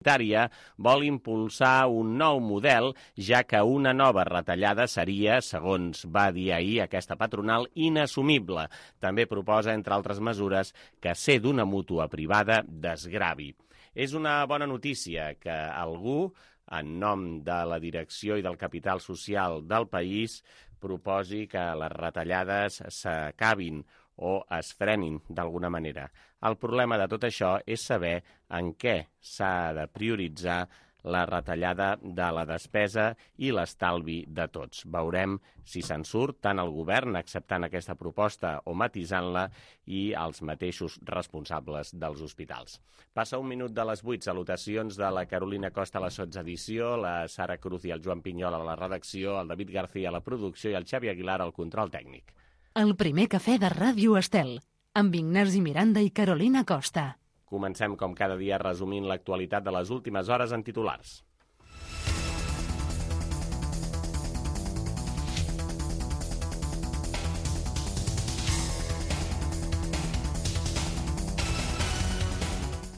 sanitària vol impulsar un nou model, ja que una nova retallada seria, segons va dir ahir aquesta patronal, inassumible. També proposa, entre altres mesures, que ser d'una mútua privada desgravi. És una bona notícia que algú, en nom de la direcció i del capital social del país, proposi que les retallades s'acabin o es frenin d'alguna manera. El problema de tot això és saber en què s'ha de prioritzar la retallada de la despesa i l'estalvi de tots. Veurem si se'n surt tant el govern acceptant aquesta proposta o matisant-la i els mateixos responsables dels hospitals. Passa 1 minut de les 8, salutacions de la Carolina Costa a la sotsedició, la Sara Cruz i el Joan Pinyol a la redacció, el David García a la producció i el Xavi Aguilar al control tècnic. El primer cafè de Ràdio Estel, amb Ignasi Miranda i Carolina Costa. Comencem, com cada dia, resumint l'actualitat de les últimes hores en titulars.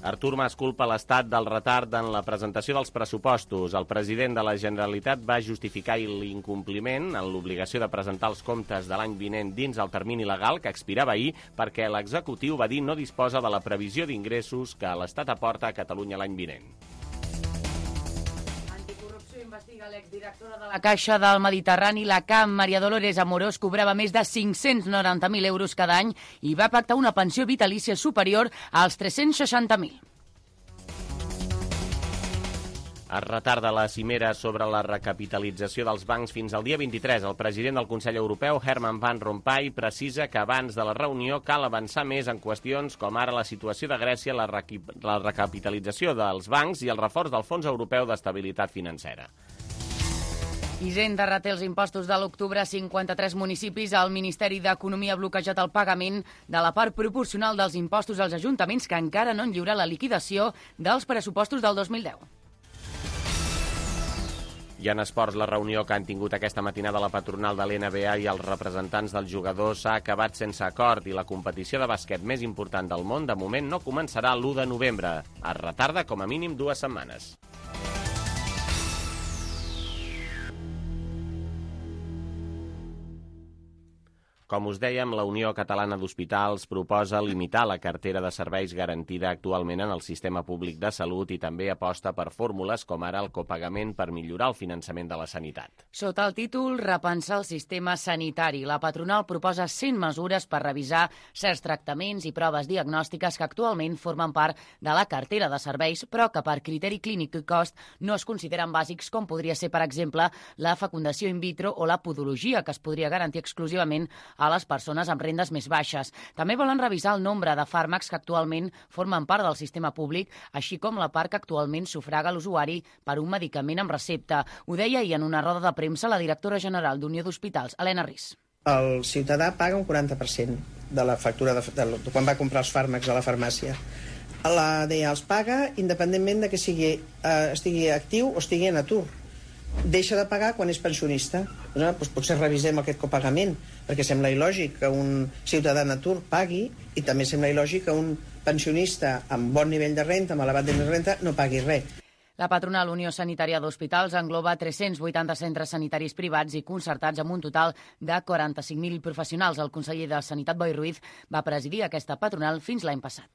Artur Mas culpa l'Estat del retard en la presentació dels pressupostos. El president de la Generalitat va justificar l'incompliment en l'obligació de presentar els comptes de l'any vinent dins el termini legal que expirava ahir perquè l'executiu va dir no disposa de la previsió d'ingressos que l'Estat aporta a Catalunya l'any vinent. Investiga l'exdirectora de la Caixa del Mediterrani, la CAM, Maria Dolores Amorós, cobrava més de 590.000 euros cada any i va pactar una pensió vitalícia superior als 360.000. Es retarda la cimera sobre la recapitalització dels bancs fins al dia 23. El president del Consell Europeu, Herman Van Rompuy, precisa que abans de la reunió cal avançar més en qüestions com ara la situació de Grècia, la recapitalització dels bancs i el reforç del Fons Europeu d'Estabilitat Financera. Hisenda reté els impostos de l'octubre a 53 municipis. El Ministeri d'Economia ha bloquejat el pagament de la part proporcional dels impostos als ajuntaments que encara no han lliurat la liquidació dels pressupostos del 2010. I en esports, la reunió que han tingut aquesta matinada la patronal de l'NBA i els representants dels jugadors s'ha acabat sense acord i la competició de bàsquet més important del món de moment no començarà l'1 de novembre. Es retarda com a mínim 2 setmanes. Com us dèiem, la Unió Catalana d'Hospitals proposa limitar la cartera de serveis garantida actualment en el sistema públic de salut i també aposta per fórmules com ara el copagament per millorar el finançament de la sanitat. Sota el títol Repensar el sistema sanitari, la patronal proposa 100 mesures per revisar certs tractaments i proves diagnòstiques que actualment formen part de la cartera de serveis, però que per criteri clínic i cost no es consideren bàsics, com podria ser, per exemple, la fecundació in vitro o la podologia, que es podria garantir exclusivament a les persones amb rendes més baixes. També volen revisar el nombre de fàrmacs que actualment formen part del sistema públic, així com la part que actualment sufraga l'usuari per un medicament amb recepta. Ho deia ahir en una roda de premsa la directora general d'Unió d'Hospitals, Helena Ris. El ciutadà paga un 40% de la factura de quan va comprar els fàrmacs a la farmàcia. La DEA els paga independentment de que estigui actiu o estigui en atur. Deixa de pagar quan és pensionista. Doncs potser revisem aquest copagament, perquè sembla il·lògic que un ciutadà en atur pagui i també sembla il·lògic que un pensionista amb bon nivell de renta, amb elevat nivell de renta, no pagui res. La patronal Unió Sanitària d'Hospitals engloba 380 centres sanitaris privats i concertats amb un total de 45.000 professionals. El conseller de Sanitat, Boi Ruiz, va presidir aquesta patronal fins l'any passat.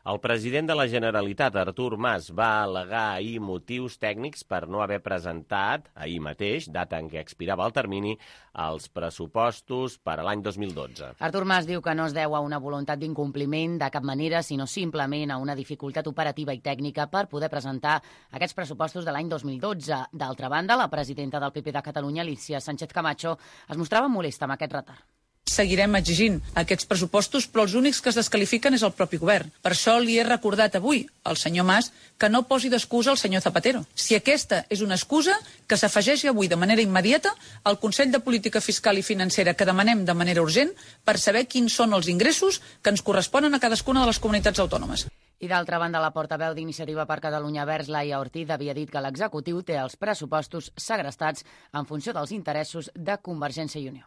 El president de la Generalitat, Artur Mas, va al·legar ahir motius tècnics per no haver presentat, ahir mateix, data en què expirava el termini, els pressupostos per a l'any 2012. Artur Mas diu que no es deu a una voluntat d'incompliment de cap manera, sinó simplement a una dificultat operativa i tècnica per poder presentar aquests pressupostos de l'any 2012. D'altra banda, la presidenta del PP de Catalunya, Alícia Sánchez Camacho, es mostrava molesta amb aquest retard. Seguirem exigint aquests pressupostos, però els únics que es descalifiquen és el propi govern. Per això li he recordat avui al senyor Mas que no posi d'excusa el senyor Zapatero. Si aquesta és una excusa, que s'afegeixi avui de manera immediata al Consell de Política Fiscal i Financera que demanem de manera urgent per saber quins són els ingressos que ens corresponen a cadascuna de les comunitats autònomes. I d'altra banda, la portaveu d'Iniciativa per Catalunya Verds, Laia Ortiz, havia dit que l'executiu té els pressupostos segrestats en funció dels interessos de Convergència i Unió.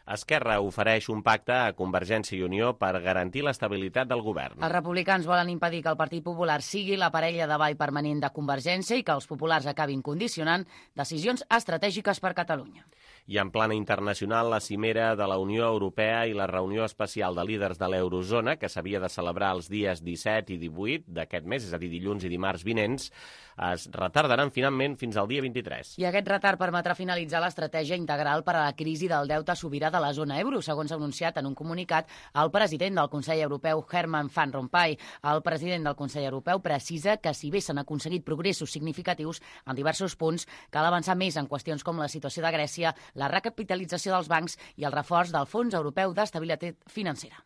Esquerra ofereix un pacte a Convergència i Unió per garantir l'estabilitat del govern. Els republicans volen impedir que el Partit Popular sigui la parella de ball permanent de Convergència i que els populars acabin condicionant decisions estratègiques per Catalunya. I en plana internacional, la cimera de la Unió Europea i la reunió especial de líders de l'Eurozona, que s'havia de celebrar els dies 17 i 18 d'aquest mes, és a dir, dilluns i dimarts vinents, es retardaran finalment fins al dia 23. I aquest retard permetrà finalitzar l'estratègia integral per a la crisi del deute sobirà de la zona euro, segons ha anunciat en un comunicat el president del Consell Europeu, Herman Van Rompuy. El president del Consell Europeu precisa que si bé s'han aconseguit progressos significatius en diversos punts, cal avançar més en qüestions com la situació de Grècia, la recapitalització dels bancs i el reforç del Fons Europeu d'Estabilitat Financera.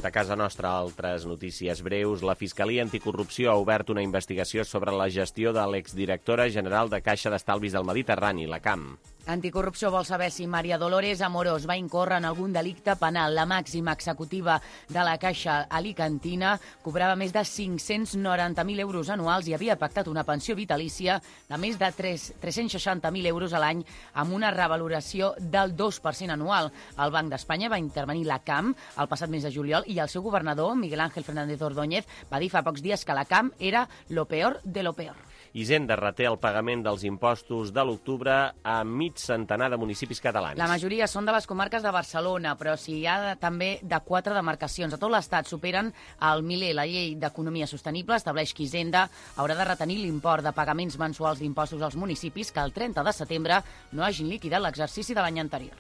De casa nostra, altres notícies breus. La Fiscalia Anticorrupció ha obert una investigació sobre la gestió de l'exdirectora general de Caixa d'Estalvis del Mediterrani, la CAM. Anticorrupció vol saber si Maria Dolores Amorós va incórrer en algun delicte penal. La màxima executiva de la Caixa alicantina cobrava més de 590.000 euros anuals i havia pactat una pensió vitalícia de més de 360.000 euros a l'any amb una revaloració del 2% anual. El Banc d'Espanya va intervenir la CAM el passat mes de juliol i el seu governador, Miguel Ángel Fernández Ordóñez, va dir fa pocs dies que la CAM era lo peor de lo peor. Hisenda reté el pagament dels impostos de l'octubre a mig centenar de municipis catalans. La majoria són de les comarques de Barcelona, però hi ha també de 4 demarcacions. A tot l'Estat superen el miler. La llei d'Economia Sostenible estableix que Hisenda haurà de retenir l'import de pagaments mensuals d'impostos als municipis que el 30 de setembre no hagin liquidat l'exercici de l'any anterior.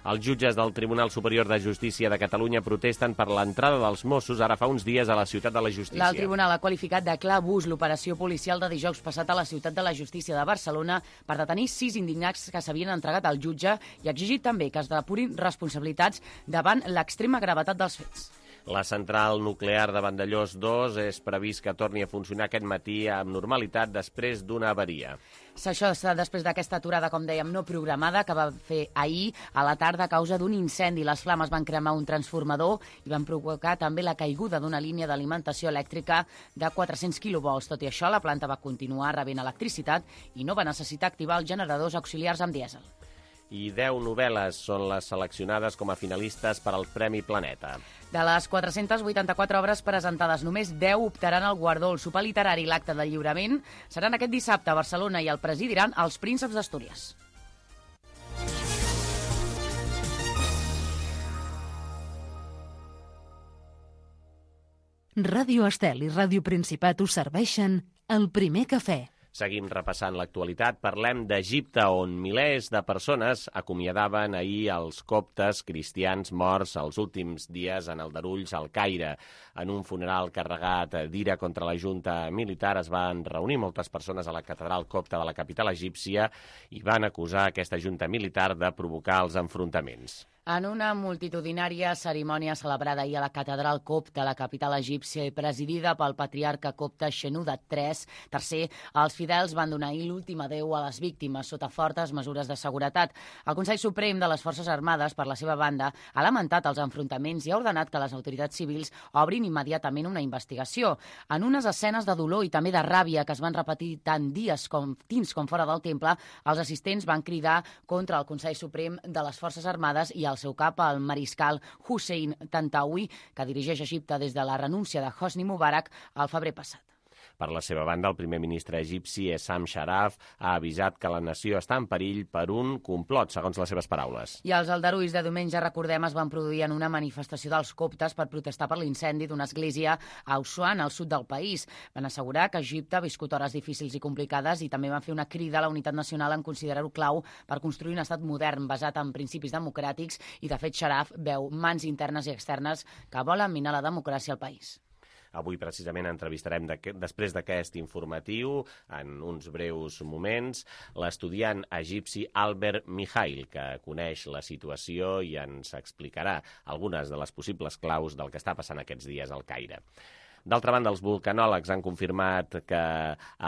Els jutges del Tribunal Superior de Justícia de Catalunya protesten per l'entrada dels Mossos ara fa uns dies a la Ciutat de la Justícia. El tribunal ha qualificat de clar abús l'operació policial de dijous passat a la Ciutat de la Justícia de Barcelona per detenir 6 indignats que s'havien entregat al jutge i ha exigit també que es depurin responsabilitats davant l'extrema gravetat dels fets. La central nuclear de Vandellòs 2 és previst que torni a funcionar aquest matí amb normalitat després d'una avaria. Això està després d'aquesta aturada, com dèiem, no programada, que va fer ahir a la tarda a causa d'un incendi. Les flames van cremar un transformador i van provocar també la caiguda d'una línia d'alimentació elèctrica de 400 kV. Tot i això, la planta va continuar rebent electricitat i no va necessitar activar els generadors auxiliars amb dièsel. I 10 novel·les són les seleccionades com a finalistes per al Premi Planeta. De les 484 obres presentades, només 10 optaran al guardó. El sopar literari i l'acte de lliurament seran aquest dissabte a Barcelona i el presidiran els Prínceps d'Astúries. Ràdio Estel i Ràdio Principat us serveixen el primer cafè. Seguim repassant l'actualitat. Parlem d'Egipte, on milers de persones acomiadaven ahir els coptes cristians morts els últims dies en aldarulls al Caire. En un funeral carregat d'ira contra la junta militar es van reunir moltes persones a la catedral copta de la capital egípcia i van acusar aquesta junta militar de provocar els enfrontaments. En una multitudinària cerimònia celebrada ahir a la catedral copta, la capital egípcia, i presidida pel patriarca copte Shenouda III, els fidels van donar ahir l'últim adéu a les víctimes sota fortes mesures de seguretat. El Consell Suprem de les Forces Armades, per la seva banda, ha lamentat els enfrontaments i ha ordenat que les autoritats civils obrin immediatament una investigació. En unes escenes de dolor i també de ràbia que es van repetir tant dins com fora del temple, els assistents van cridar contra el Consell Suprem de les Forces Armades i el seu cap, el mariscal Hussein Tantawi, que dirigeix Egipte des de la renúncia de Hosni Mubarak al febrer passat. Per la seva banda, el primer ministre egipci, Essam Sharaf, ha avisat que la nació està en perill per un complot, segons les seves paraules. I els aldarulls de diumenge, recordem, es van produir en una manifestació dels coptes per protestar per l'incendi d'una església a Assuan, al sud del país. Van assegurar que Egipte ha viscut hores difícils i complicades i també van fer una crida a la unitat nacional en considerar-ho clau per construir un estat modern basat en principis democràtics i, de fet, Sharaf veu mans internes i externes que volen minar la democràcia al país. Avui, precisament, entrevistarem, després d'aquest informatiu, en uns breus moments, l'estudiant egipci Albert Mihail, que coneix la situació i ens explicarà algunes de les possibles claus del que està passant aquests dies al Caire. D'altra banda, els vulcanòlegs han confirmat que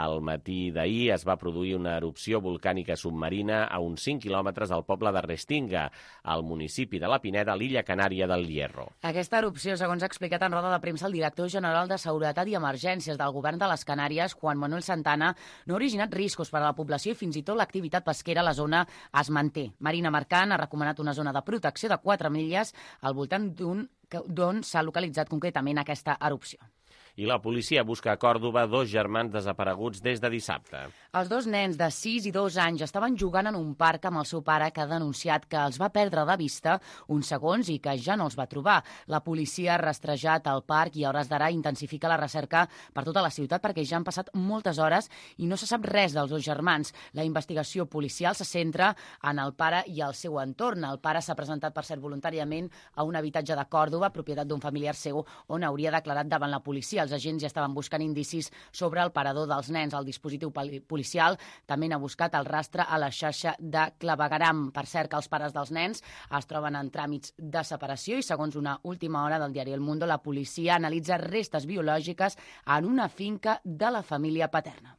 al matí d'ahir es va produir una erupció volcànica submarina a uns 5 quilòmetres del poble de Restinga, al municipi de la Pineda, a l'illa Canària del Hierro. Aquesta erupció, segons ha explicat en roda de premsa el director general de Seguretat i Emergències del govern de les Canàries, Juan Manuel Santana, no ha originat riscos per a la població i fins i tot l'activitat pesquera a la zona es manté. Marina Mercant ha recomanat una zona de protecció de 4 milles al voltant d'on s'ha localitzat concretament aquesta erupció. I la policia busca a Còrdova 2 germans desapareguts des de dissabte. Els 2 nens de 6 i 2 anys estaven jugant en un parc amb el seu pare, que ha denunciat que els va perdre de vista uns segons i que ja no els va trobar. La policia ha rastrejat el parc i a hores d'ara intensifica la recerca per tota la ciutat perquè ja han passat moltes hores i no se sap res dels 2 germans. La investigació policial se centra en el pare i el seu entorn. El pare s'ha presentat, per cert, voluntàriament a un habitatge de Còrdova, propietat d'un familiar seu, on hauria declarat davant la policia. Els agents ja estaven buscant indicis sobre el parador dels nens. El dispositiu policial també n'ha buscat el rastre a la xarxa de clavegueram. Per cert, que els pares dels nens es troben en tràmits de separació i, segons una última hora del diari El Mundo, la policia analitza restes biològiques en una finca de la família paterna.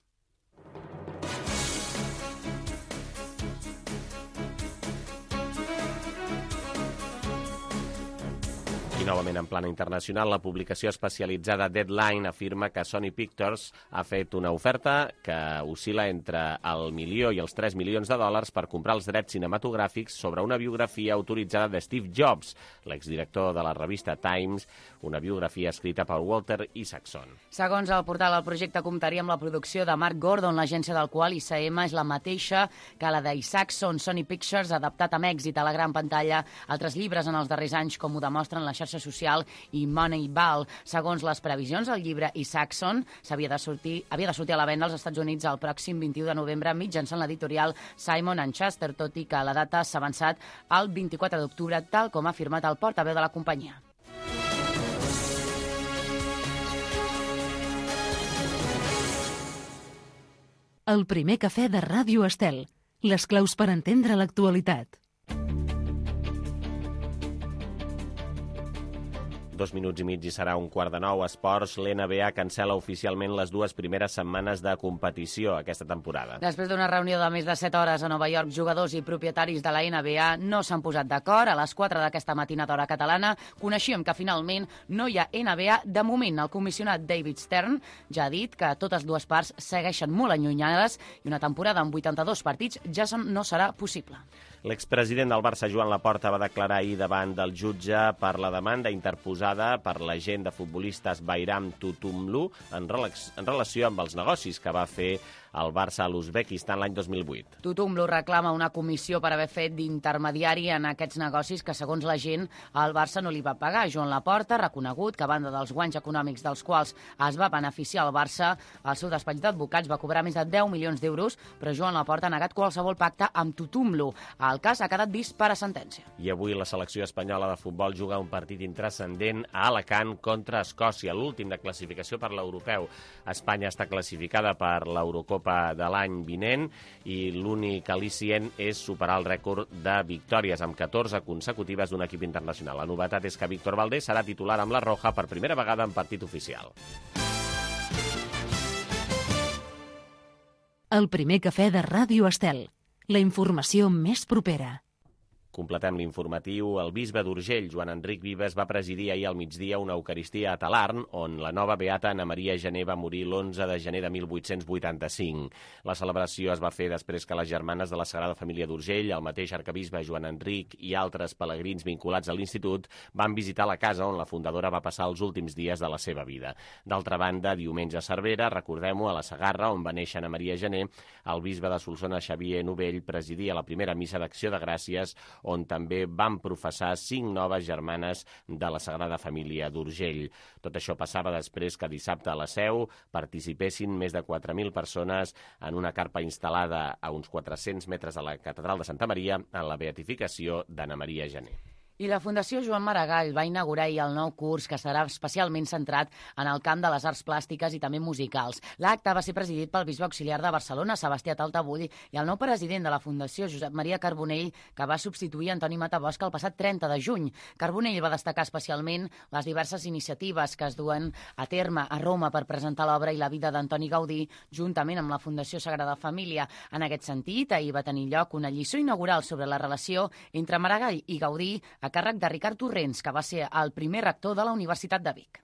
I novament en plana internacional, la publicació especialitzada Deadline afirma que Sony Pictures ha fet una oferta que oscil·la entre el milió i els 3 milions de dòlars per comprar els drets cinematogràfics sobre una biografia autoritzada de Steve Jobs, l'exdirector de la revista Times, una biografia escrita per Walter Isaacson. Segons el portal, el projecte comptaria amb la producció de Mark Gordon, l'agència del qual ICM és la mateixa que la d'Isaacson. Sony Pictures ha adaptat amb èxit a la gran pantalla altres llibres en els darrers anys, com ho demostren la xarxa social i Moneyball. Segons les previsions, el llibre Isaacson havia de sortir a la venda als Estats Units el pròxim 21 de novembre mitjançant l'editorial Simon & Schuster, tot i que la data s'ha avançat al 24 d'octubre, tal com ha afirmat el portaveu de la companyia. El primer cafè de Ràdio Estel. Les claus per entendre l'actualitat. 2 minuts i mig i serà 8:45. Esports, l'NBA cancela oficialment les 2 primeres setmanes de competició aquesta temporada. Després d'una reunió de més de 7 hores a Nova York, jugadors i propietaris de la NBA no s'han posat d'acord. A les 4 d'aquesta matinada hora catalana coneixíem que finalment no hi ha NBA de moment. El comissionat David Stern ja ha dit que totes dues parts segueixen molt allunyades i una temporada amb 82 partits ja no serà possible. L'expresident del Barça, Joan Laporta, va declarar ahir davant del jutge per la demanda interposada per l'agent de futbolistes Bayram Tutumlu en relació amb els negocis que va fer el Barça a l'Uzbekistan l'any 2008. Tutumlu reclama una comissió per haver fet d'intermediari en aquests negocis que, segons la gent, el Barça no li va pagar. Joan Laporta ha reconegut que, a banda dels guanys econòmics dels quals es va beneficiar el Barça, el seu despatx d'advocats va cobrar més de 10 milions d'euros, però Joan Laporta ha negat qualsevol pacte amb Tutumlu. El cas ha quedat vist per a sentència. I avui la selecció espanyola de futbol juga un partit intranscendent a Alacant contra Escòcia, l'últim de classificació per l'europeu. Espanya està classificada per l'Eurocopa de l'any vinent i l'únic al·licient és superar el rècord de victòries amb 14 consecutives d'un equip internacional. La novetat és que Víctor Valdés serà titular amb la Roja per primera vegada en partit oficial. El primer cafè de Ràdio Estel. La informació més propera. Completem l'informatiu. El bisbe d'Urgell, Joan Enric Vives, va presidir ahir al migdia una eucaristia a Talarn, on la nova beata Anna Maria Gené va morir l'11 de gener de 1885. La celebració es va fer després que les germanes de la Sagrada Família d'Urgell, el mateix arquebisbe Joan Enric i altres pelegrins vinculats a l'institut van visitar la casa on la fundadora va passar els últims dies de la seva vida. D'altra banda, diumenge a Cervera, recordem-ho, a la Segarra, on va néixer Anna Maria Gené, el bisbe de Solsona, Xavier Novell, presidia la primera missa d'acció de gràcies, on també van professar 5 noves germanes de la Sagrada Família d'Urgell. Tot això passava després que dissabte a la Seu participessin més de 4.000 persones en una carpa instal·lada a uns 400 metres de la Catedral de Santa Maria en la beatificació d'Anna Maria Gené. I la Fundació Joan Maragall va inaugurar ahir el nou curs que serà especialment centrat en el camp de les arts plàstiques i també musicals. L'acte va ser presidit pel bisbe auxiliar de Barcelona, Sebastià Taltabull, i el nou president de la Fundació, Josep Maria Carbonell, que va substituir Antoni Matabosc el passat 30 de juny. Carbonell va destacar especialment les diverses iniciatives que es duen a terme a Roma per presentar l'obra i la vida d'Antoni Gaudí, juntament amb la Fundació Sagrada Família. En aquest sentit, ahir va tenir lloc una lliçó inaugural sobre la relació entre Maragall i Gaudí, a càrrec de Ricard Torrents, que va ser el primer rector de la Universitat de Vic.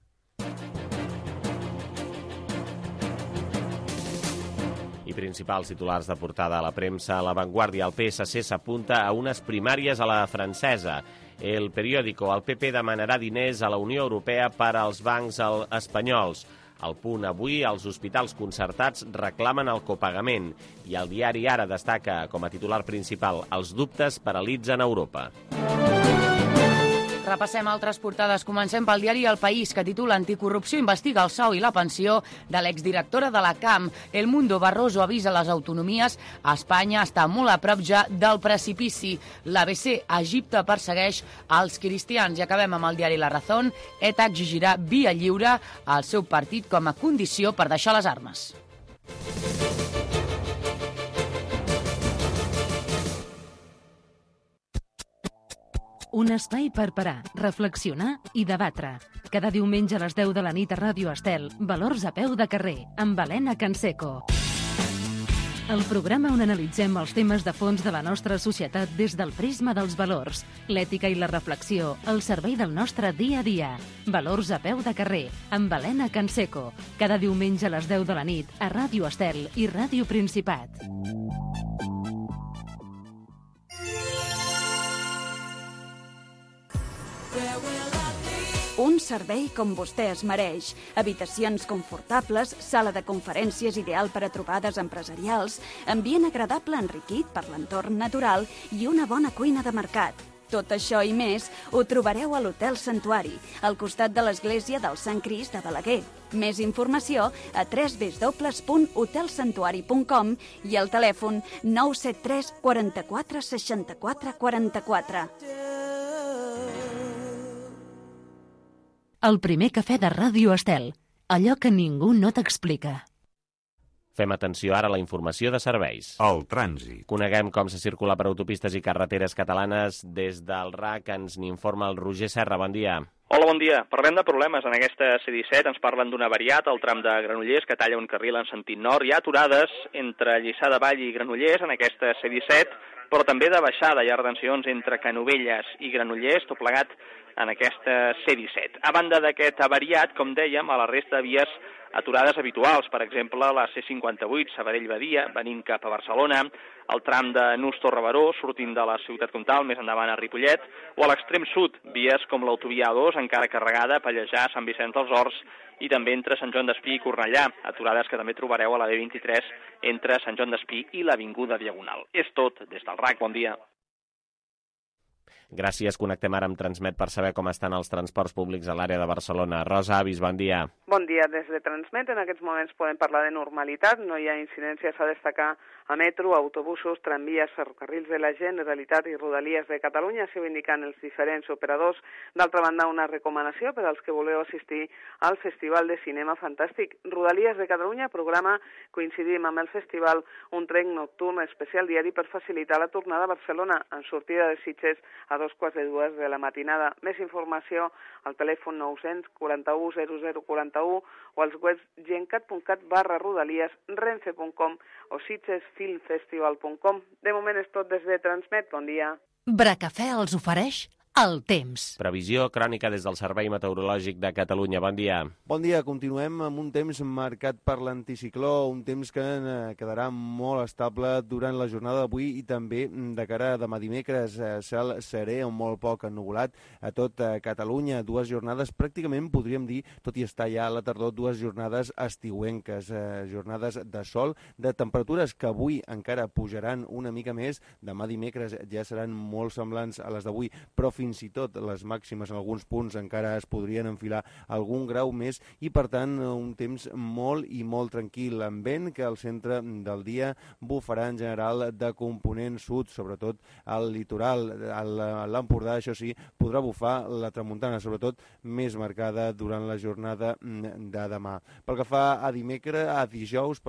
I principals titulars de portada a la premsa. A La Vanguardia, el PSC s'apunta a unes primàries a la francesa. El periòdico, el PP demanarà diners a la Unió Europea per als bancs espanyols. Al Punt, avui, els hospitals concertats reclamen el copagament i el diari Ara destaca com a titular principal: els dubtes paralitzen Europa. Repassem altres portades. Comencem pel diari El País, que titula Anticorrupció investiga el sou i la pensió de l'exdirectora de la CAM. El Mundo, Barroso avisa les autonomies. Espanya està molt a prop ja del precipici. L'ABC, Egipte persegueix els cristians. I acabem amb el diari La Razón. ETA exigirà via lliure al seu partit com a condició per deixar les armes. Un espai per parar, reflexionar i debatre. Cada diumenge a les 10 de la nit a Ràdio Estel, Valors a peu de carrer, amb Helena Canseco. El programa on analitzem els temes de fons de la nostra societat des del prisma dels valors, l'ètica i la reflexió, al servei del nostre dia a dia. Valors a peu de carrer, amb Helena Canseco. Cada diumenge a les 10 de la nit a Ràdio Estel i Ràdio Principat. Un servei com vostè es mereix. Habitacions confortables, sala de conferències ideal per a trobades empresarials, ambient agradable enriquit per l'entorn natural i una bona cuina de mercat. Tot això i més ho trobareu a l'Hotel Santuari, al costat de l'església del Sant Crist de Balaguer. Més informació a www.hotelsantuari.com i al telèfon 973 44 64 44. El primer cafè de Ràdio Estel. Allò que ningú no t'explica. Fem atenció ara a la informació de serveis. El trànsit. Coneguem com se circula per autopistes i carreteres catalanes. Des del RAC ens n'informa el Roger Serra. Bon dia. Hola, bon dia. Parlem de problemes. En aquesta C-17 ens parlen d'un avariat al tram de Granollers que talla un carril en sentit nord. Hi ha aturades entre Lliçà de Vall i Granollers en aquesta C-17, però també de baixada. Hi ha retencions entre Canovelles i Granollers, tot plegat en aquesta C-17. A banda d'aquest avariat, com dèiem, a la resta de vies aturades habituals, per exemple, la C-58, Sabadell-Badia, venint cap a Barcelona, el tram de Nus-Torre-Baró, sortint de la ciutat comtal, més endavant a Ripollet, o a l'extrem sud, vies com l'autovia A2, encara carregada, Pallejà, Sant Vicenç dels Horts, i també entre Sant Joan d'Espí i Cornellà, aturades que també trobareu a la B23 entre Sant Joan d'Espí i l'Avinguda Diagonal. És tot des del RAC. Bon dia. Gràcies. Connectem ara amb Transmet per saber com estan els transports públics a l'àrea de Barcelona. Rosa Avis, bon dia. Bon dia. Des de Transmet, en aquests moments podem parlar de normalitat. No hi ha incidències a destacar a metro, autobusos, tramvies, ferrocarrils de la Generalitat i Rodalies de Catalunya, així ho indiquen els diferents operadors. D'altra banda, una recomanació per als que voleu assistir al Festival de Cinema Fantàstic. Rodalies de Catalunya programa, coincidim amb el festival, un tren nocturn especial diari per facilitar la tornada a Barcelona en sortida de Sitges a 2:45 de la matinada. Més informació al telèfon 941 0041 o als webs gencat.cat/rodalies, renfe.com o sitgesfilmfestival.com. De moment és tot des de Transmet. Bon dia. Bracafè els ofereix el temps. Previsió crònica des del Servei Meteorològic de Catalunya. Bon dia. Bon dia. Continuem amb un temps marcat per l'anticicló, un temps que quedarà molt estable durant la jornada d'avui i també de cara a demà dimecres. Cel serè o molt poc ennuvolat a tot Catalunya. Dues jornades, pràcticament podríem dir, tot i estar ja a la tardor, dues jornades estiuenques, jornades de sol, de temperatures que avui encara pujaran una mica més. Demà dimecres ja seran molt semblants a les d'avui, però fins fins i tot les màximes en alguns punts encara es podrien enfilar algun grau més i, per tant, un temps molt i molt tranquil, amb vent que al centre del dia bufarà en general de component sud, sobretot al litoral. A l'Empordà, això sí, podrà bufar la tramuntana, sobretot més marcada durant la jornada de demà. Pel que fa a dijous,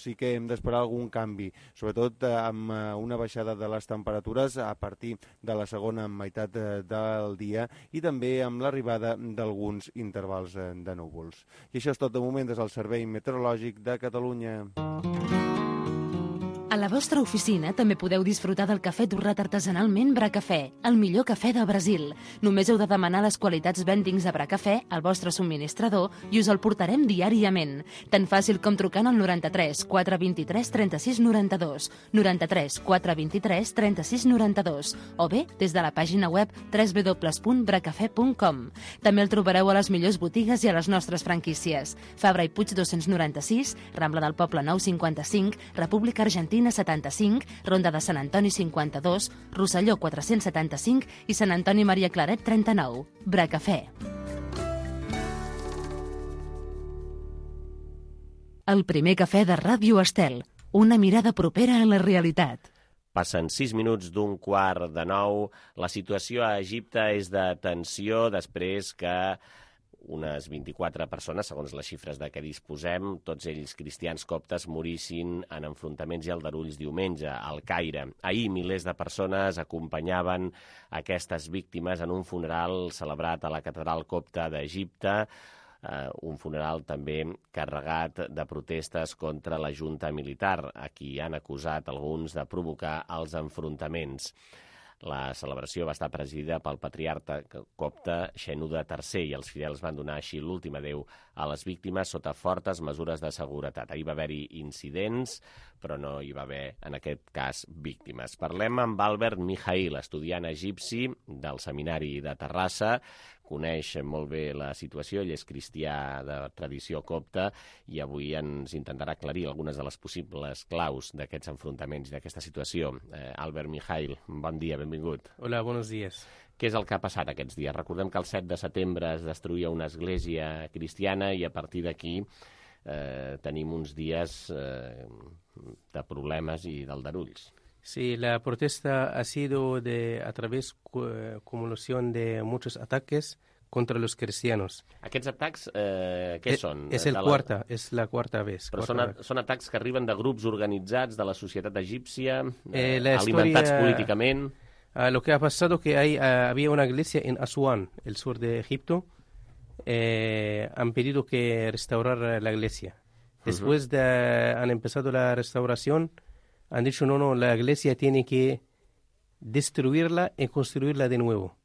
sí que hem d'esperar algun canvi, sobretot amb una baixada de les temperatures a partir de la segona meitat del dia i també amb l'arribada d'alguns intervals de núvols. I això és tot de moment des del Servei Meteorològic de Catalunya. A la vostra oficina també podeu disfrutar del cafè torrat artesanalment Bracafè, el millor cafè del Brasil. Només heu de demanar les qualitats Vendings de Bracafè al vostre subministrador i us el portarem diàriament. Tan fàcil com trucant al 93 423 36 92, 93 423 36 92, o bé des de la pàgina web www.bracafè.com. També el trobareu a les millors botigues i a les nostres franquícies. Fabra i Puig 296, Rambla del Poble 955, República Argentina 75, Ronda de Sant Antoni 52, Rosselló 475 i Sant Antoni Maria Claret 39. Bracafè. El primer cafè de Ràdio Estel. Una mirada propera a la realitat. Passen 6 minuts d'un quart de 9. La situació a Egipte és de tensió després que unes 24 persones, segons les xifres de què disposem, tots ells cristians coptes, morissin en enfrontaments i aldarulls diumenge al Caire. Ahir milers de persones acompanyaven aquestes víctimes en un funeral celebrat a la catedral copta d'Egipte, un funeral també carregat de protestes contra la junta militar, a qui han acusat alguns de provocar els enfrontaments. La celebració va estar presidida pel patriarca copte Shenouda III i els fidels van donar així l'últim adéu a les víctimes sota fortes mesures de seguretat. Ahir va haver-hi incidents, però no hi va haver, en aquest cas, víctimes. Parlem amb Albert Mijail, estudiant egipci del Seminari de Terrassa. Coneix molt bé la situació, ell és cristià de tradició copta i avui ens intentarà aclarir algunes de les possibles claus d'aquests enfrontaments i d'aquesta situació. Albert Mijail, bon dia, benvingut. Hola, buenos días. Què és el que ha passat aquests dies? Recordem que el 7 de setembre es destruïa una església cristiana i a partir d'aquí tenim uns dies de problemes i d'aldarulls. Sí, la protesta ha sido a través de acumulación de muchos ataques contra los cristianos. Aquests atacs, què són? És la quarta vez. Però són atacs que arriben de grups organitzats de la societat egípcia, alimentats políticament. Lo que ha pasado que había una iglesia en Asuán, el sur de Egipto. Han pedido que restaurar la iglesia. Después han empezado la restauración. Han dicho, no, la iglesia tiene que destruirla y construirla de nuevo.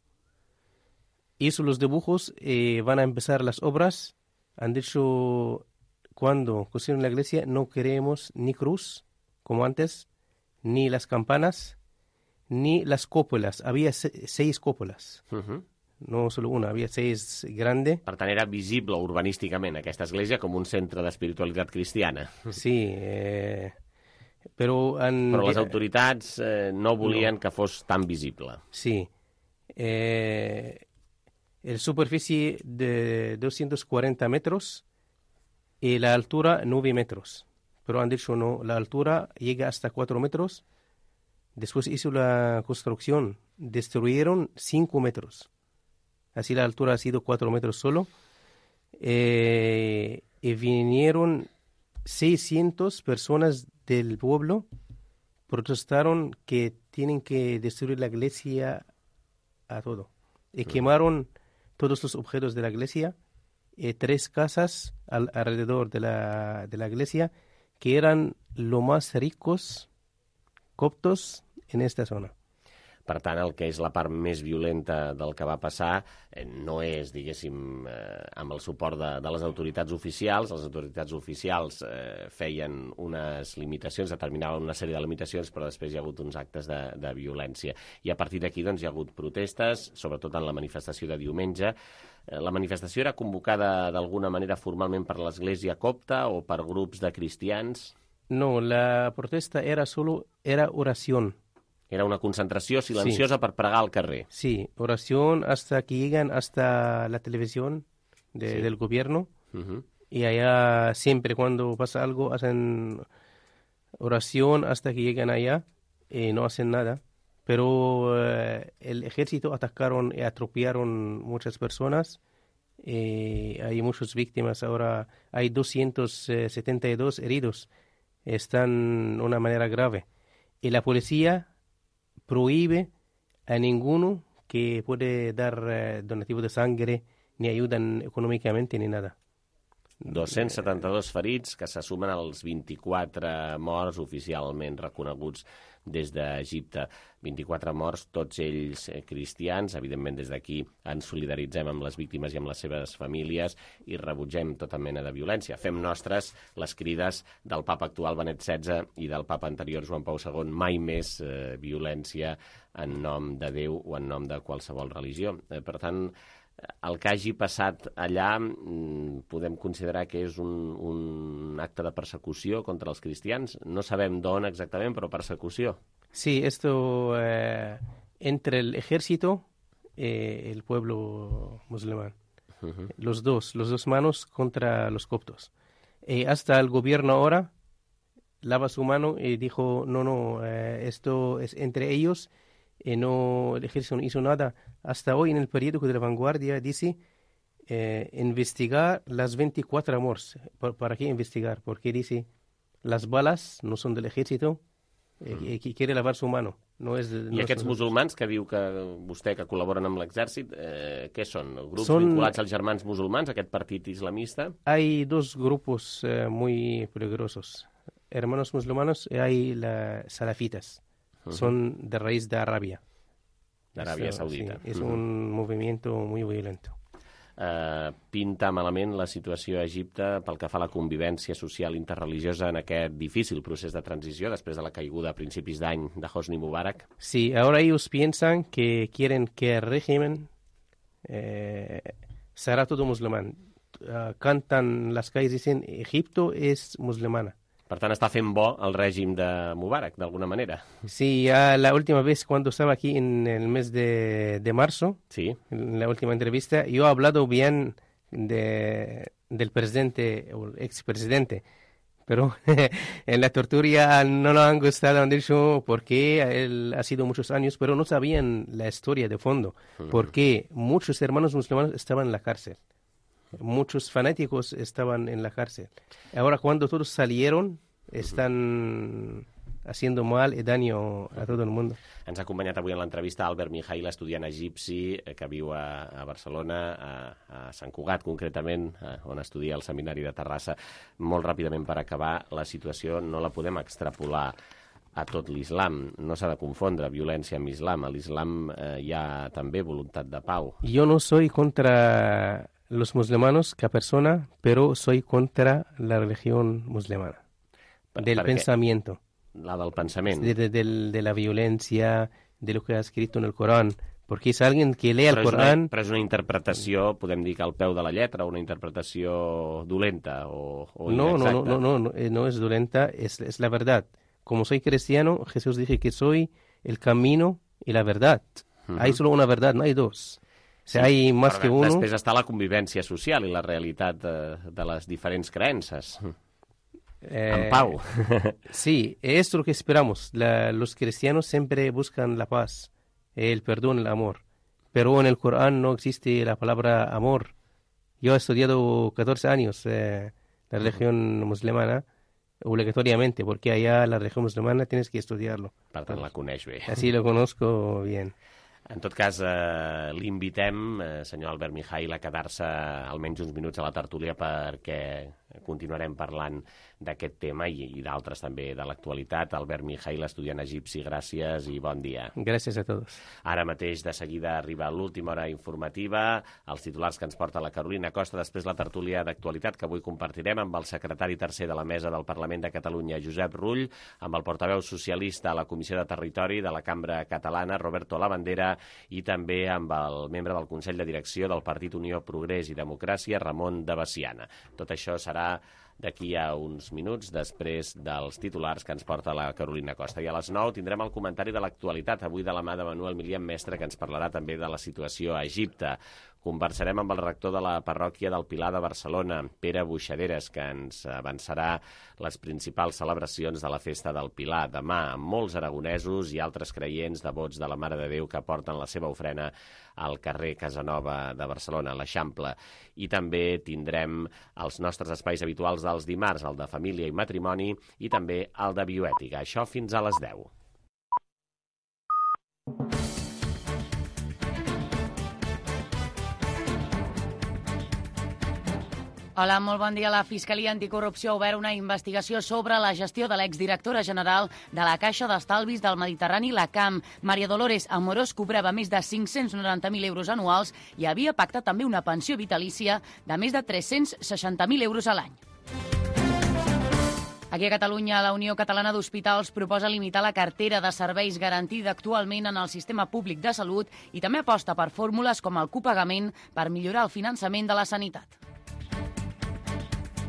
Hizo los dibujos, van a empezar las obras. Han dicho, cuando construyeron la iglesia, no queremos ni cruz, como antes, ni las campanas, ni las cúpulas. Había 6 cúpulas. No solo una, havia 6 grandes. Per tant, era visible urbanísticament aquesta església com un centre d'espiritualitat cristiana. Sí, però les autoritats no volien que fos tan visible. Sí. La superficie de 240 metros y la altura 9 metros. Pero han dicho no, la altura llega hasta 4 metros. Después hizo la construcción, destruyeron 5 metros. Así la altura ha sido 4 metros solo. Y vinieron 600 personas del pueblo, protestaron que tienen que destruir la iglesia a todo. Y quemaron todos los objetos de la iglesia, 3 casas alrededor de la iglesia, que eran los más ricos coptos en esta zona. Per tant, el que és la part més violenta del que va passar no és, diguéssim, amb el suport de les autoritats oficials. Les autoritats oficials feien unes limitacions, determinaven una sèrie de limitacions, però després hi ha hagut uns actes de violència. I a partir d'aquí doncs, hi ha hagut protestes, sobretot en la manifestació de diumenge. La manifestació era convocada d'alguna manera formalment per l'Església copta o per grups de cristians? No, la protesta era oración. Era una concentració silenciosa per pregar al carrer. Sí, oración hasta que llegan hasta la televisión del gobierno. Y allá siempre cuando pasa algo hacen oración hasta que llegan allá y no hacen nada. Pero el ejército atacaron y atropellaron muchas personas. Hay muchas víctimas ahora. Hay 272 heridos. Están de una manera grave. Y la policía prohíbe a ninguno que puede dar donativo de sangre, ni ayudan econòmicament ni nada. 272 ferits que se sumen als 24 morts oficialment reconeguts des d'Egipte. 24 morts, tots ells cristians. Evidentment, des d'aquí ens solidaritzem amb les víctimes i amb les seves famílies i rebutgem tota mena de violència. Fem nostres les crides del papa actual Benet XVI i del papa anterior Joan Pau II. Mai més violència en nom de Déu o en nom de qualsevol religió. Per tant, el que hagi passat allà podem considerar que és un acte de persecució contra els cristians. No sabem d'on exactament, però persecució. Sí, esto entre el ejército y el pueblo musulmán. Los dos manos contra los coptos. Hasta el gobierno ahora lava su mano y dijo, no, esto es entre ellos. No, el ejército no hizo nada. Hasta hoy en el periódico de La Vanguardia dice investigar las 24 morts. ¿Para qué investigar? Porque dice las balas no son del ejército y quiere lavar su mano. No és I aquests musulmans que diu que vostè que col·laboren amb l'exèrcit, què són? Grups vinculats als germans musulmans, aquest partit islamista? Hay dos grupos muy peligrosos. Hermanos musulmanos y hay las salafitas. Son de raíz de Arabia. De Arabia Saudita. Sí, es un movimiento muy violento. Pinta malament la situació a Egipte pel que fa a la convivència social interreligiosa en aquest difícil procés de transició després de la caiguda a principis d'any de Hosni Mubarak. Sí, ahora ellos piensan que quieren que el régimen será todo musulmán. Cantan las calles y dicen Egipto es musulmana. Per tant, està fent bo el règim de Mubarak, d'alguna manera. Sí, ya la última vez cuando estaba aquí en el mes de marzo, sí, en la última entrevista, yo he hablado bien del presidente o el expresidente, pero en la tortura no nos han gustado, han dicho, porque él ha sido muchos años, pero no sabían la historia de fondo, porque muchos hermanos musulmanes estaban en la cárcel. Muchos fanáticos estaban en la cárcel. Ahora, cuando todos salieron, están haciendo mal y daño a todo el mundo. Ens ha acompanyat avui en l'entrevista Albert Mijail, estudiant egipci que viu a Barcelona, a Sant Cugat, concretament, on estudia al Seminari de Terrassa. Molt ràpidament, per acabar, la situació no la podem extrapolar a tot l'islam. No s'ha de confondre violència amb islam. A l'islam hi ha també voluntat de pau. Jo no soy contra los musulmanos que persona, pero soy contra la religión musulmana. Del pensamiento. La del pensament. De la violencia, de lo que ha escrito en el Corán. Porque es alguien que lee el Corán... Però és una interpretació, podem dir que al peu de la lletra, una interpretació dolenta o inexacta. No es dolenta, es la verdad. Como soy cristiano, Jesús dice que soy el camino y la verdad. Hay solo una verdad, no hay dos. Sí, hay más que uno. Després està la convivència social i la realitat de les diferents creences. En pau. Sí, esto es lo que esperamos. Los cristianos siempre buscan la paz, el perdón, el amor. Pero en el Corán no existe la palabra amor. Yo he estudiado 14 años la religión musulmana obligatoriamente, porque allá la religión musulmana tienes que estudiarlo. Per tant, la coneix bé. Así lo conozco bien. En tot cas, l'invitem, senyor Albert Mijail, a quedar-se almenys uns minuts a la tertúlia perquè continuarem parlant d'aquest tema i d'altres també de l'actualitat. Albert Mijail, estudiant egipci, gràcies i bon dia. Gràcies a tots. Ara mateix, de seguida, arriba l'última hora informativa, els titulars que ens porta la Carolina Costa, després la tertúlia d'actualitat que avui compartirem amb el secretari tercer de la Mesa del Parlament de Catalunya, Josep Rull, amb el portaveu socialista a la Comissió de Territori de la Cambra Catalana, Roberto Labandera, i també amb el membre del Consell de Direcció del Partit Unió Progrés i Democràcia, Ramon de Baciana. Tot això serà serà d'aquí a uns minuts, després dels titulars que ens porta la Carolina Costa. I a les 9 tindrem el comentari de l'actualitat, avui de la mà de Manuel Milian Mestre, que ens parlarà també de la situació a Egipte. Conversarem amb el rector de la parròquia del Pilar de Barcelona, Pere Buixaderes, que ens avançarà les principals celebracions de la festa del Pilar. Demà, amb molts aragonesos i altres creients devots de la Mare de Déu que porten la seva ofrena al carrer Casanova de Barcelona, a l'Eixample. I també tindrem els nostres espais habituals dels dimarts, el de família i matrimoni, i també el de bioètica. Això fins a les 10. Hola, molt bon dia. La Fiscalia Anticorrupció ha obert una investigació sobre la gestió de l'exdirectora general de la Caixa d'Estalvis del Mediterrani, la CAM. Maria Dolores Amorós cobrava més de 590.000 euros anuals i havia pactat també una pensió vitalícia de més de 360.000 euros a l'any. Aquí a Catalunya, la Unió Catalana d'Hospitals proposa limitar la cartera de serveis garantida actualment en el sistema públic de salut i també aposta per fórmules com el copagament per millorar el finançament de la sanitat.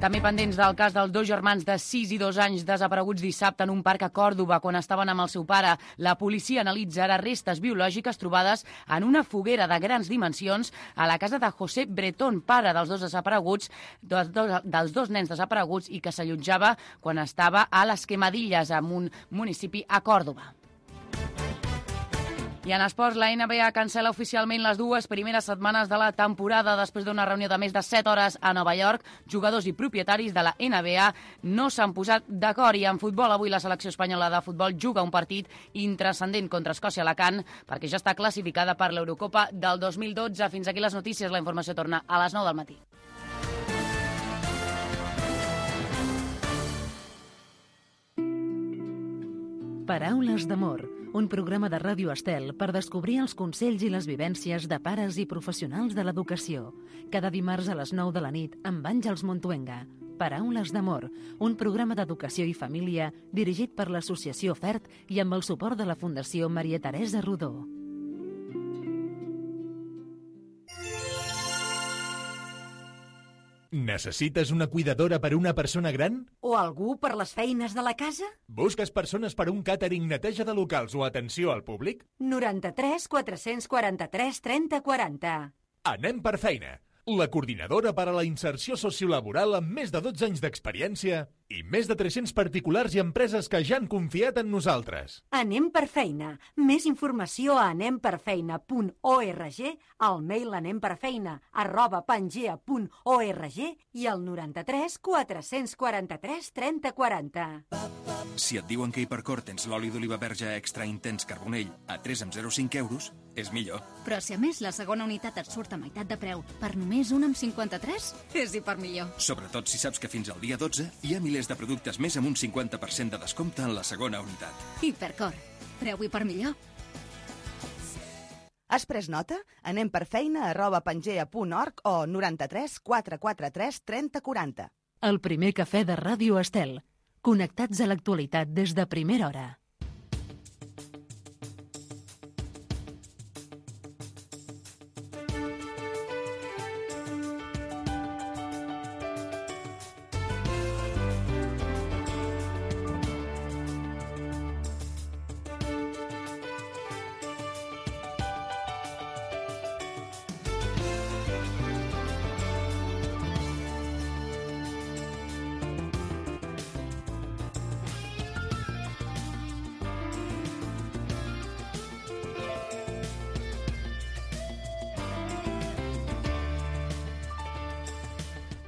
També pendents del cas dels dos germans de 6 i 2 anys desapareguts dissabte en un parc a Còrdova quan estaven amb el seu pare. La policia analitza ara restes biològiques trobades en una foguera de grans dimensions a la casa de José Bretón, pare dels dos desapareguts, dels dos nens desapareguts i que s'allotjava quan estava a les Quemadilles, en un municipi a Còrdova. I en esports, la NBA cancela oficialment les dues primeres setmanes de la temporada. Després d'una reunió de més de 7 hores a Nova York, jugadors i propietaris de la NBA no s'han posat d'acord. I en futbol, avui la selecció espanyola de futbol juga un partit intranscendent contra Escòcia-Alacant perquè ja està classificada per l'Eurocopa del 2012. Fins aquí les notícies. La informació torna a les 9 del matí. Paraules d'amor, un programa de Ràdio Estel per descobrir els consells i les vivències de pares i professionals de l'educació. Cada dimarts a les 9 de la nit amb Àngels Montuenga. Paraules d'amor, un programa d'educació i família dirigit per l'Associació FERT i amb el suport de la Fundació Maria Teresa Rodó. Necessites una cuidadora per una persona gran? O algú per les feines de la casa? Busques persones per un càtering, neteja de locals o atenció al públic? 93 443 30 40. Anem per feina. La coordinadora per a la inserció sociolaboral amb més de 12 anys d'experiència i més de 300 particulars i empreses que ja han confiat en nosaltres. Anem per feina. Més informació a anemperfeina.org, al mail anemperfeina@pangea.org i al 93 443 30 40. Si et diuen que Hipercor tens l'oli d'oliva verge extra intens carbonell a 3,05 euros, és millor. Però si a més la segona unitat et surt a meitat de preu per només 1,53, és hipermillor. Sobretot si saps que fins al dia 12 hi ha milers de productes més amb un 50% de descompte en la segona unitat. Hipercor. Preu hipermillor. Has pres nota? Anem per feina@pangea.org o 93 443 30 40. El primer cafè de Ràdio Estel. Connectats a l'actualitat des de primera hora.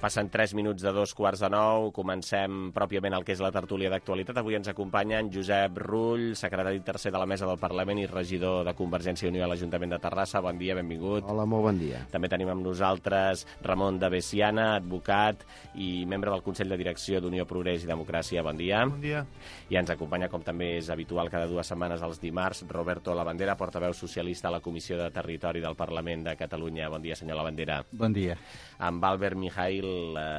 Passen 3 minuts de 8:45, comencem pròpiament el que és la tertúlia d'actualitat. Avui ens acompanya en Josep Rull, secretari tercer de la Mesa del Parlament i regidor de Convergència i Unió a l'Ajuntament de Terrassa. Bon dia, benvingut. Hola, molt bon dia. També tenim amb nosaltres Ramon de Bessiana, advocat i membre del Consell de Direcció d'Unió Progrés i Democràcia. Bon dia. Bon dia. I ens acompanya, com també és habitual cada 2 setmanes els dimarts, Roberto Labandera, portaveu socialista a la Comissió de Territori del Parlament de Catalunya. Bon dia, senyor Labandera. Bon dia. Amb Albert Mijail,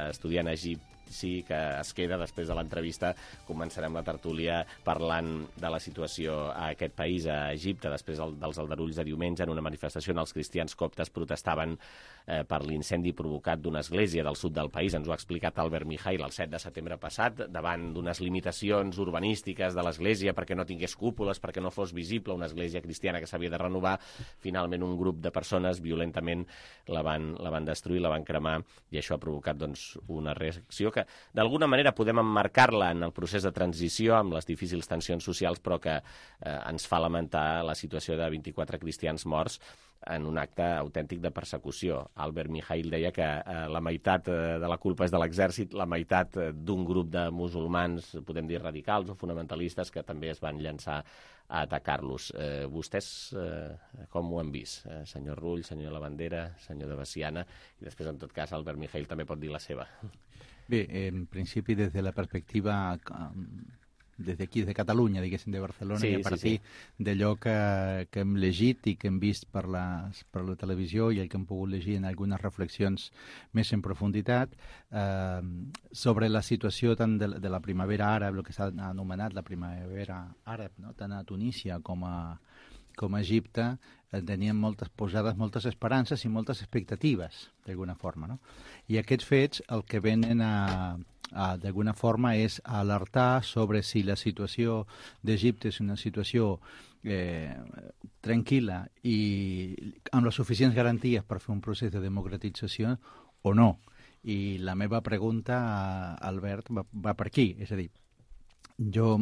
estudiant a Egipci, que es queda després de l'entrevista. Començarem la tertúlia parlant de la situació a aquest país, a Egipte, després dels aldarulls de diumenge en una manifestació on els cristians coptes protestaven per l'incendi provocat d'una església del sud del país. Ens ho ha explicat Albert Mijail el 7 de setembre passat, davant d'unes limitacions urbanístiques de l'església perquè no tingués cúpules, perquè no fos visible, una església cristiana que s'havia de renovar. Finalment un grup de persones violentament la van destruir, la van cremar, i això ha provocat una reacció que d'alguna manera podem emmarcar-la en el procés de transició amb les difícils tensions socials, però que ens fa lamentar la situació de 24 cristians morts en un acte autèntic de persecució. Albert Mijail deia que la meitat de la culpa és de l'exèrcit, la meitat d'un grup de musulmans, podem dir radicals o fonamentalistes, que també es van llançar a atacar-los. Vostès com ho han vist? Senyor Rull, senyor Lavandera, senyor de Veciana, i després, en tot cas, Albert Mijail també pot dir la seva. Bé, en principi, des de la perspectiva des d'aquí, de Catalunya, diguéssim, de Barcelona, i a partir d'allò que hem llegit i que hem vist per la televisió i el que hem pogut llegir en algunes reflexions més en profunditat, sobre la situació tant de la primavera àrab, el que s'ha anomenat la primavera àrab, no? Tant a Tunísia com a Egipte, tenien moltes posades, moltes esperances i moltes expectatives, d'alguna forma, no? I aquests fets el que venen d'alguna forma és alertar sobre si la situació d'Egipte és una situació tranquil·la i amb les suficients garanties per fer un procés de democratització o no. I la meva pregunta, Albert, va per aquí, és a dir, jo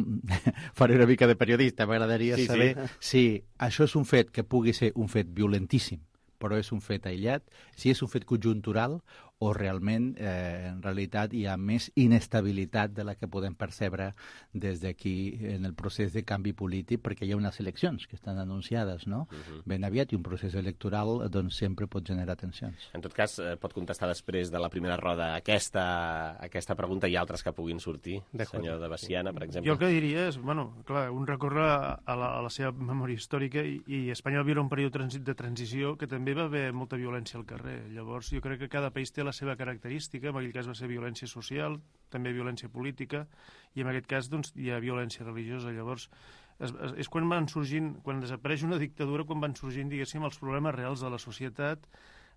faré una mica de periodista, m'agradaria saber si això és un fet que pugui ser un fet violentíssim, però és un fet aïllat, si és un fet conjuntural o realment, en realitat, hi ha més inestabilitat de la que podem percebre des d'aquí en el procés de canvi polític, perquè hi ha unes eleccions que estan anunciades, no? Ben aviat, i un procés electoral doncs sempre pot generar tensions. En tot cas, pot contestar després de la primera roda aquesta pregunta i altres que puguin sortir, senyor de Veciana, per exemple. Jo el que diria és, clar, un recorre a la seva memòria històrica i Espanya va viure un període de transició que també va haver molta violència al carrer. Llavors, jo crec que cada país té la seva característica, en aquell cas va ser violència social, també violència política, i en aquest cas doncs, hi ha violència religiosa. Llavors, és quan desapareix una dictadura, quan van sorgint, diguéssim, els problemes reals de la societat.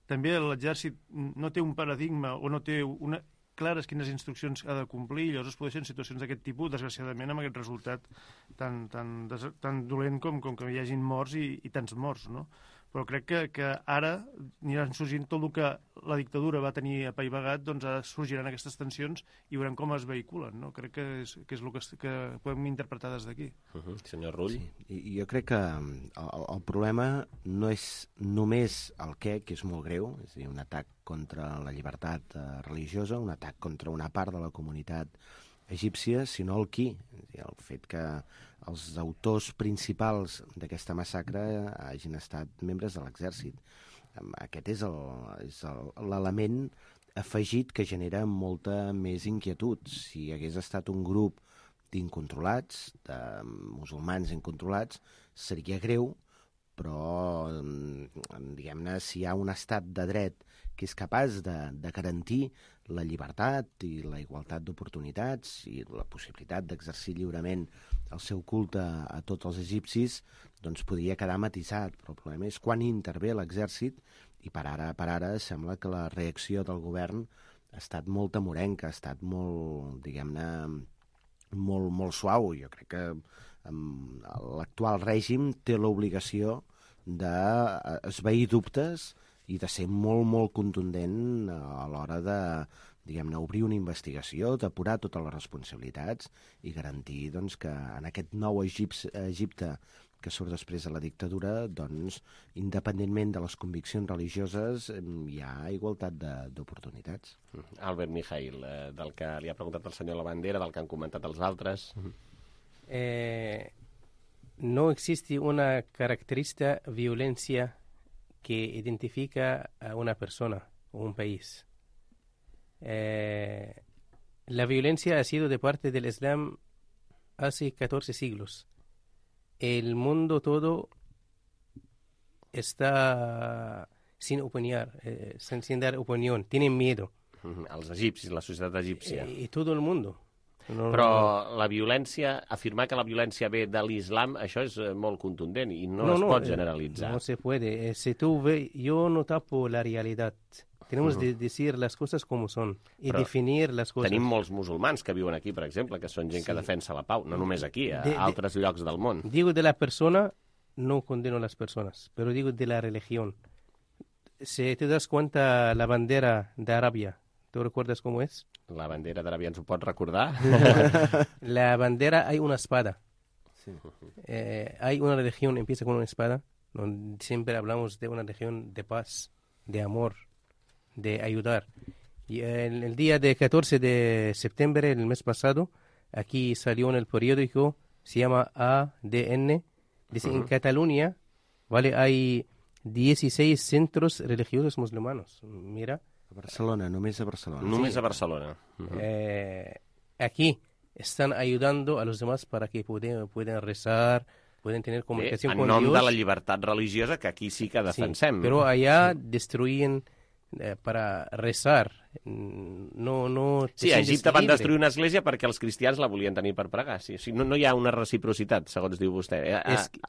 També l'exèrcit no té un paradigma o no té clares quines instruccions ha de complir, i llavors es produeixen situacions d'aquest tipus, desgraciadament, amb aquest resultat tan dolent com que hi hagin morts i tants morts, no? Però crec que ara aniran sorgint tot el que la dictadura va tenir apaivagat, doncs ara sorgiran aquestes tensions i veurem com es vehiculen, no? Crec que és el que podem interpretar des d'aquí. Senyor Rull? Sí, i jo crec que el problema no és només el que és molt greu, és a dir, un atac contra la llibertat religiosa, un atac contra una part de la comunitat egípcia, sinó el qui. El fet que els autors principals d'aquesta massacre hagin estat membres de l'exèrcit. Aquest és l'element afegit que genera molta més inquietud. Si hagués estat un grup d'incontrolats, de musulmans incontrolats, seria greu, però, diguem-ne, si hi ha un estat de dret que és capaç de garantir la llibertat i la igualtat d'oportunitats i la possibilitat d'exercir lliurement el seu culte a tots els egipcis, doncs podria quedar matisat. Però el problema és quan intervé l'exèrcit, i per ara sembla que la reacció del govern ha estat molt amorenca, ha estat molt, diguem-ne, molt suau. Jo crec que l'actual règim té l'obligació d'esvair dubtes i de ser molt contundent a l'hora de, diguem-ne, obrir una investigació, depurar totes les responsabilitats i garantir doncs, que en aquest nou Egipte que surt després de la dictadura, doncs, independentment de les conviccions religioses, hi ha igualtat d'oportunitats. Albert Mijail, del que li ha preguntat el senyor Lavandera, del que han comentat els altres. No existe una característica violencia que identifica a una persona o un país. La violencia ha sido de parte del Islam hace 14 siglos. El mundo todo está sin opinar, sin dar opinión, tienen miedo. Els egipcis, la societat egípcia. Y todo el mundo. Però la violència, afirmar que la violència ve de l'islam, això és molt contundent i no es pot generalitzar. No se puede. Yo no tapo la realidad. Tenemos de decir las cosas como son y definir las cosas. Tenim molts musulmans que viuen aquí, per exemple, que són gent que defensa la pau, no només aquí, a altres llocs del món. Digo de la persona, no condeno a las personas, pero digo de la religión. Si te das cuenta, la bandera de Arabia, ¿tú recuerdas cómo es? La bandera de Arabia, ¿ens ho pots recordar? La bandera, hay una espada. Sí. Hay una religión, empieza con una espada, donde siempre hablamos de una religión de paz, de amor, de ayudar. Y el día de 14 de septiembre, el mes pasado, aquí salió en el periódico, se llama ADN, dice en Cataluña, ¿vale? Hay 16 centros religiosos musulmanos. Mira. A Barcelona, només a Barcelona. Només a Barcelona. Aquí están ayudando a los demás para que puedan rezar, pueden tener comunicación con Dios. En nom de la llibertat religiosa, que aquí sí que defensem. Sí, pero allá destruyen para rezar. No sí, a Egipte van destruir una església perquè els cristians la volien tenir per pregar. Sí. O sigui, no hi ha una reciprocitat, segons diu vostè.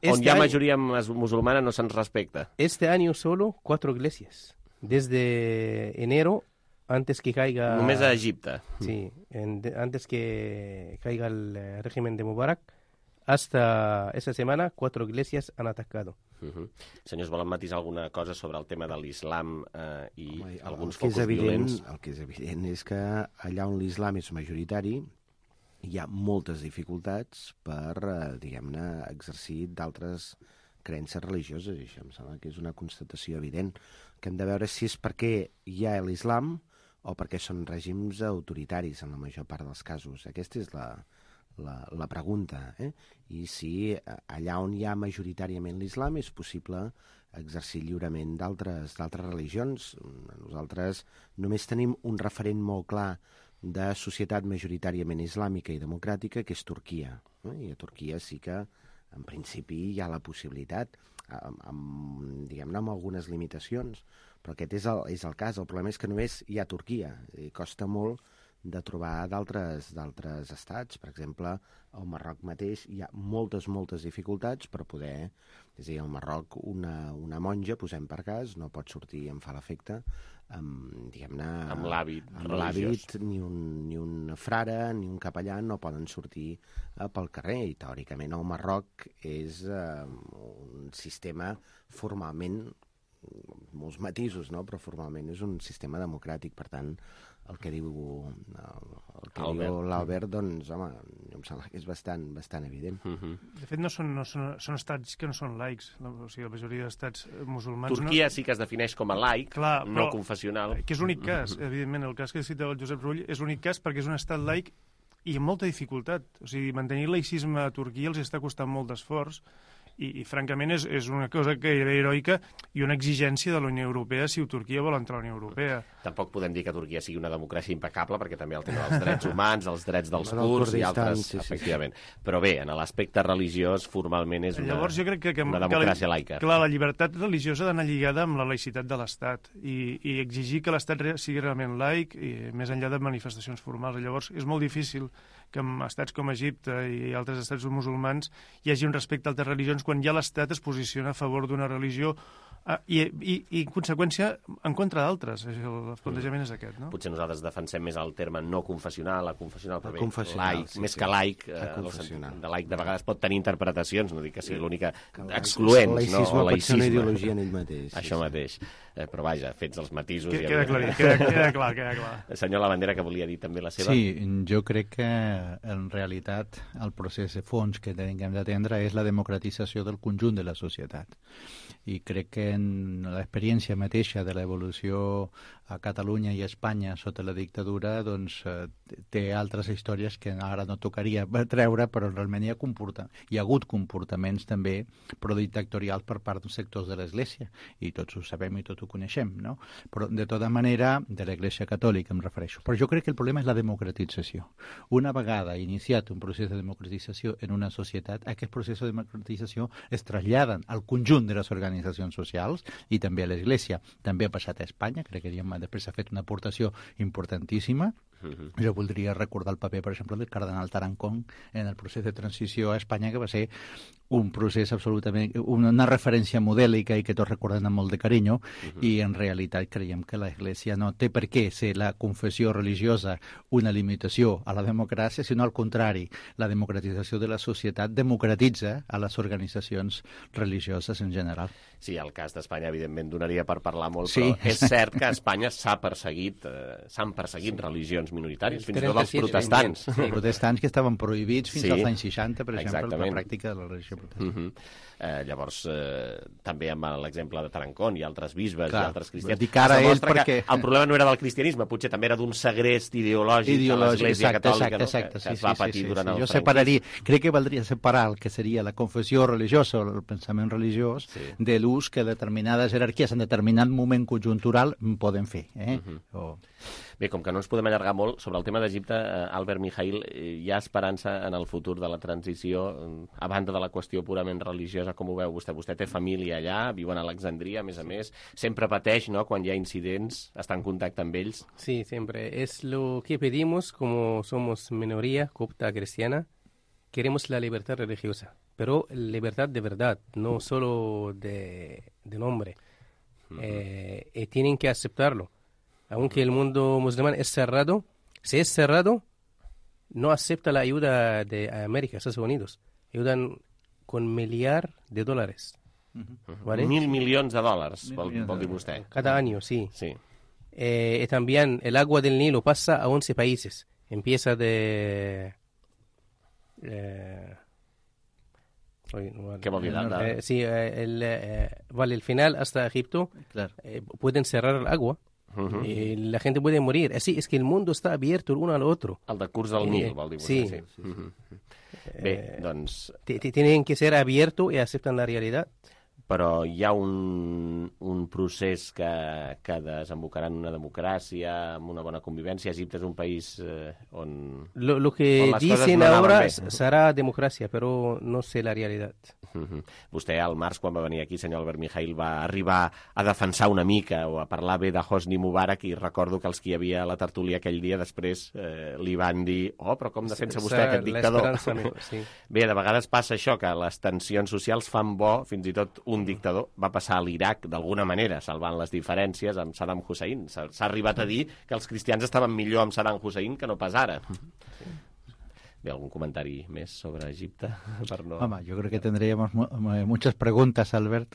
On hi ha majoria musulmana no se'ns respecta. Este año solo 4 iglesias. Desde enero, antes que caiga... Només a Egipte. Sí, antes que caiga el régimen de Mubarak, hasta esa semana 4 iglesias han atacado. Senyors, volen matisar alguna cosa sobre el tema de l'islam i alguns focus violents? El que és evident és que allà on l'islam és majoritari hi ha moltes dificultats per, diguem-ne, exercir d'altres creences religioses, i això em sembla que és una constatació evident, que hem de veure si és perquè hi ha l'islam o perquè són règims autoritaris en la major part dels casos. Aquesta és la pregunta, i si allà on hi ha majoritàriament l'islam és possible exercir lliurement d'altres religions. Nosaltres només tenim un referent molt clar de societat majoritàriament islàmica i democràtica, que és Turquia. I a Turquia sí que, en principi, hi ha la possibilitat, diguem-ne, amb algunes limitacions, però aquest és el cas. El problema és que només hi ha Turquia, i costa molt de trobar d'altres estats. Per exemple, al Marroc mateix hi ha moltes dificultats per poder... És a dir, al Marroc una monja, posem per cas, no pot sortir, em fa l'efecte, diguem-ne... Amb l'hàbit religiós. Ni un frare ni un capellà no poden sortir pel carrer, i teòricament el Marroc és un sistema formalment, molts matisos, no? Però formalment és un sistema democràtic. Per tant, el que diu l'Albert, doncs, home, em sembla que és bastant evident. De fet, són estats que no són laics. O sigui, la majoria d'estats musulmans... Turquia sí que es defineix com a laic, no confessional. Que és l'únic cas, evidentment. El cas que cita el Josep Rull és l'únic cas perquè és un estat laic i amb molta dificultat. O sigui, mantenir el laïcisme a Turquia els està costant molt d'esforç, i francament és una cosa que era heroica i una exigència de la Unió Europea si Turquia vol entrar a la Unió Europea. Tampoc podem dir que Turquia sigui una democràcia impecable, perquè també el tema dels drets humans, els drets dels kurds i altres, efectivament. Però bé, en l'aspecte religiós, formalment és una democràcia laica. Clar, la llibertat religiosa ha d'anar lligada amb la laïcitat de l'Estat i exigir que l'Estat sigui realment laic, més enllà de manifestacions formals. Llavors, és molt difícil que en estats com Egipte i altres estats musulmans hi hagi un respecte a altres religions quan ja l'Estat es posiciona a favor d'una religió i en conseqüència, en contra d'altres. El plantejament és aquest, no? Potser nosaltres defensem més el terme no confessional, confessional, però bé, laic, més que laic, de laic de vegades pot tenir interpretacions, no dic que sigui l'única excloent, no? El laïcisme pot ser una ideologia en ell mateix. Això mateix. Però vaja, fets els matisos... Queda clar. Senyor Labandera, que volia dir també la seva... Sí, jo crec que en realitat el procés de fons que hem d'atendre és la democratització del conjunt de la societat. I crec que en l'experiència mateixa de l'evolució a Catalunya i a Espanya sota la dictadura, doncs té altres històries que ara no tocaria treure, però realment hi ha hagut comportaments també prodictatorials per part dels sectors de l'Església, i tots ho sabem i tots ho coneixem, no? Però de tota manera, de l'Església Catòlica em refereixo. Però jo crec que el problema és la democratització. Una vegada iniciat un procés de democratització en una societat, aquest procés de democratització es traslladen al conjunt de les organitzacions socials i també a l'Església. També ha passat a Espanya, crec que després ha fet una aportació importantíssima, Jo voldria recordar el paper, per exemple, del cardenal Tarancón en el procés de transició a Espanya, que va ser un procés absolutament... una referència modèlica i que tots recorden amb molt de carinyo, i en realitat creiem que l'Església no té per què ser la confessió religiosa una limitació a la democràcia, sinó al contrari, la democratització de la societat democratitza a les organitzacions religioses en general. Sí, el cas d'Espanya, evidentment, donaria per parlar molt, però és cert que a Espanya s'han perseguit religions minoritàries, fins i tot els protestants. Els protestants que estaven prohibits fins als anys 60, per exemple, la pràctica de la religió protestant. Llavors, també amb l'exemple de Tarancón i altres bisbes i altres cristians, dic ara es demostra que el problema no era del cristianisme, potser també era d'un segrest ideològic de l'Església Catòlica que es va patir durant el franquisme. Crec que valdria separar el que seria la confessió religiosa o el pensament religiós de l'ús que determinades jerarquies en determinat moment conjuntural poden fer. Bé, com que no ens podem allargar molt, sobre el tema d'Egipte, Albert Mijaíl, hi ha esperança en el futur de la transició, a banda de la qüestió purament religiosa, com ho veu vostè? Vostè té família allà, viu a Alexandria, a més, sempre pateix, ¿no?, quan hi ha incidents, està en contacte amb ells. Sí, siempre. Es lo que pedimos, como somos minoría copta cristiana, queremos la libertad religiosa, pero libertad de verdad, no solo de nombre. Tienen que aceptarlo. Aunque el mundo musulmán es cerrado, si es cerrado, no acepta la ayuda de América, Estados Unidos. Ayudan con $1 miliard. ¿Vale? $1.000 millones, vol dir vostè. Cada año, sí. Y también el agua del Nilo pasa a 11 países. Empieza de... ¿Qué vol dir? Sí, vale, el final hasta Egipto. Pueden cerrar el agua. Y la gente puede morir. Así es que el mundo está abierto el uno al otro. El de curs del Nil, vol dir vostè. Sí. Bé, doncs... Tienen que ser abiertos y aceptan la realidad. Però hi ha un procés que desembocarà en una democràcia, amb una bona convivència. Egipte és un país on... Lo que dicen ahora será democracia, pero no sé la realidad. Vostè, al març, quan va venir aquí, senyor Albert Mijaíl, va arribar a defensar una mica o a parlar bé de Hosni Mubarak, i recordo que els que hi havia a la tertúlia aquell dia després li van dir però com defensa vostè aquest dictador? Bé, de vegades passa això, que les tensions socials fan bo, fins i tot un dictador va passar a l'Iraq d'alguna manera, salvant les diferències amb Saddam Hussein. S'ha arribat a dir que els cristians estaven millor amb Saddam Hussein que no pas ara. Bé, ¿algún comentario más sobre Egipto? Yo creo que tendríamos muchas preguntas, Albert,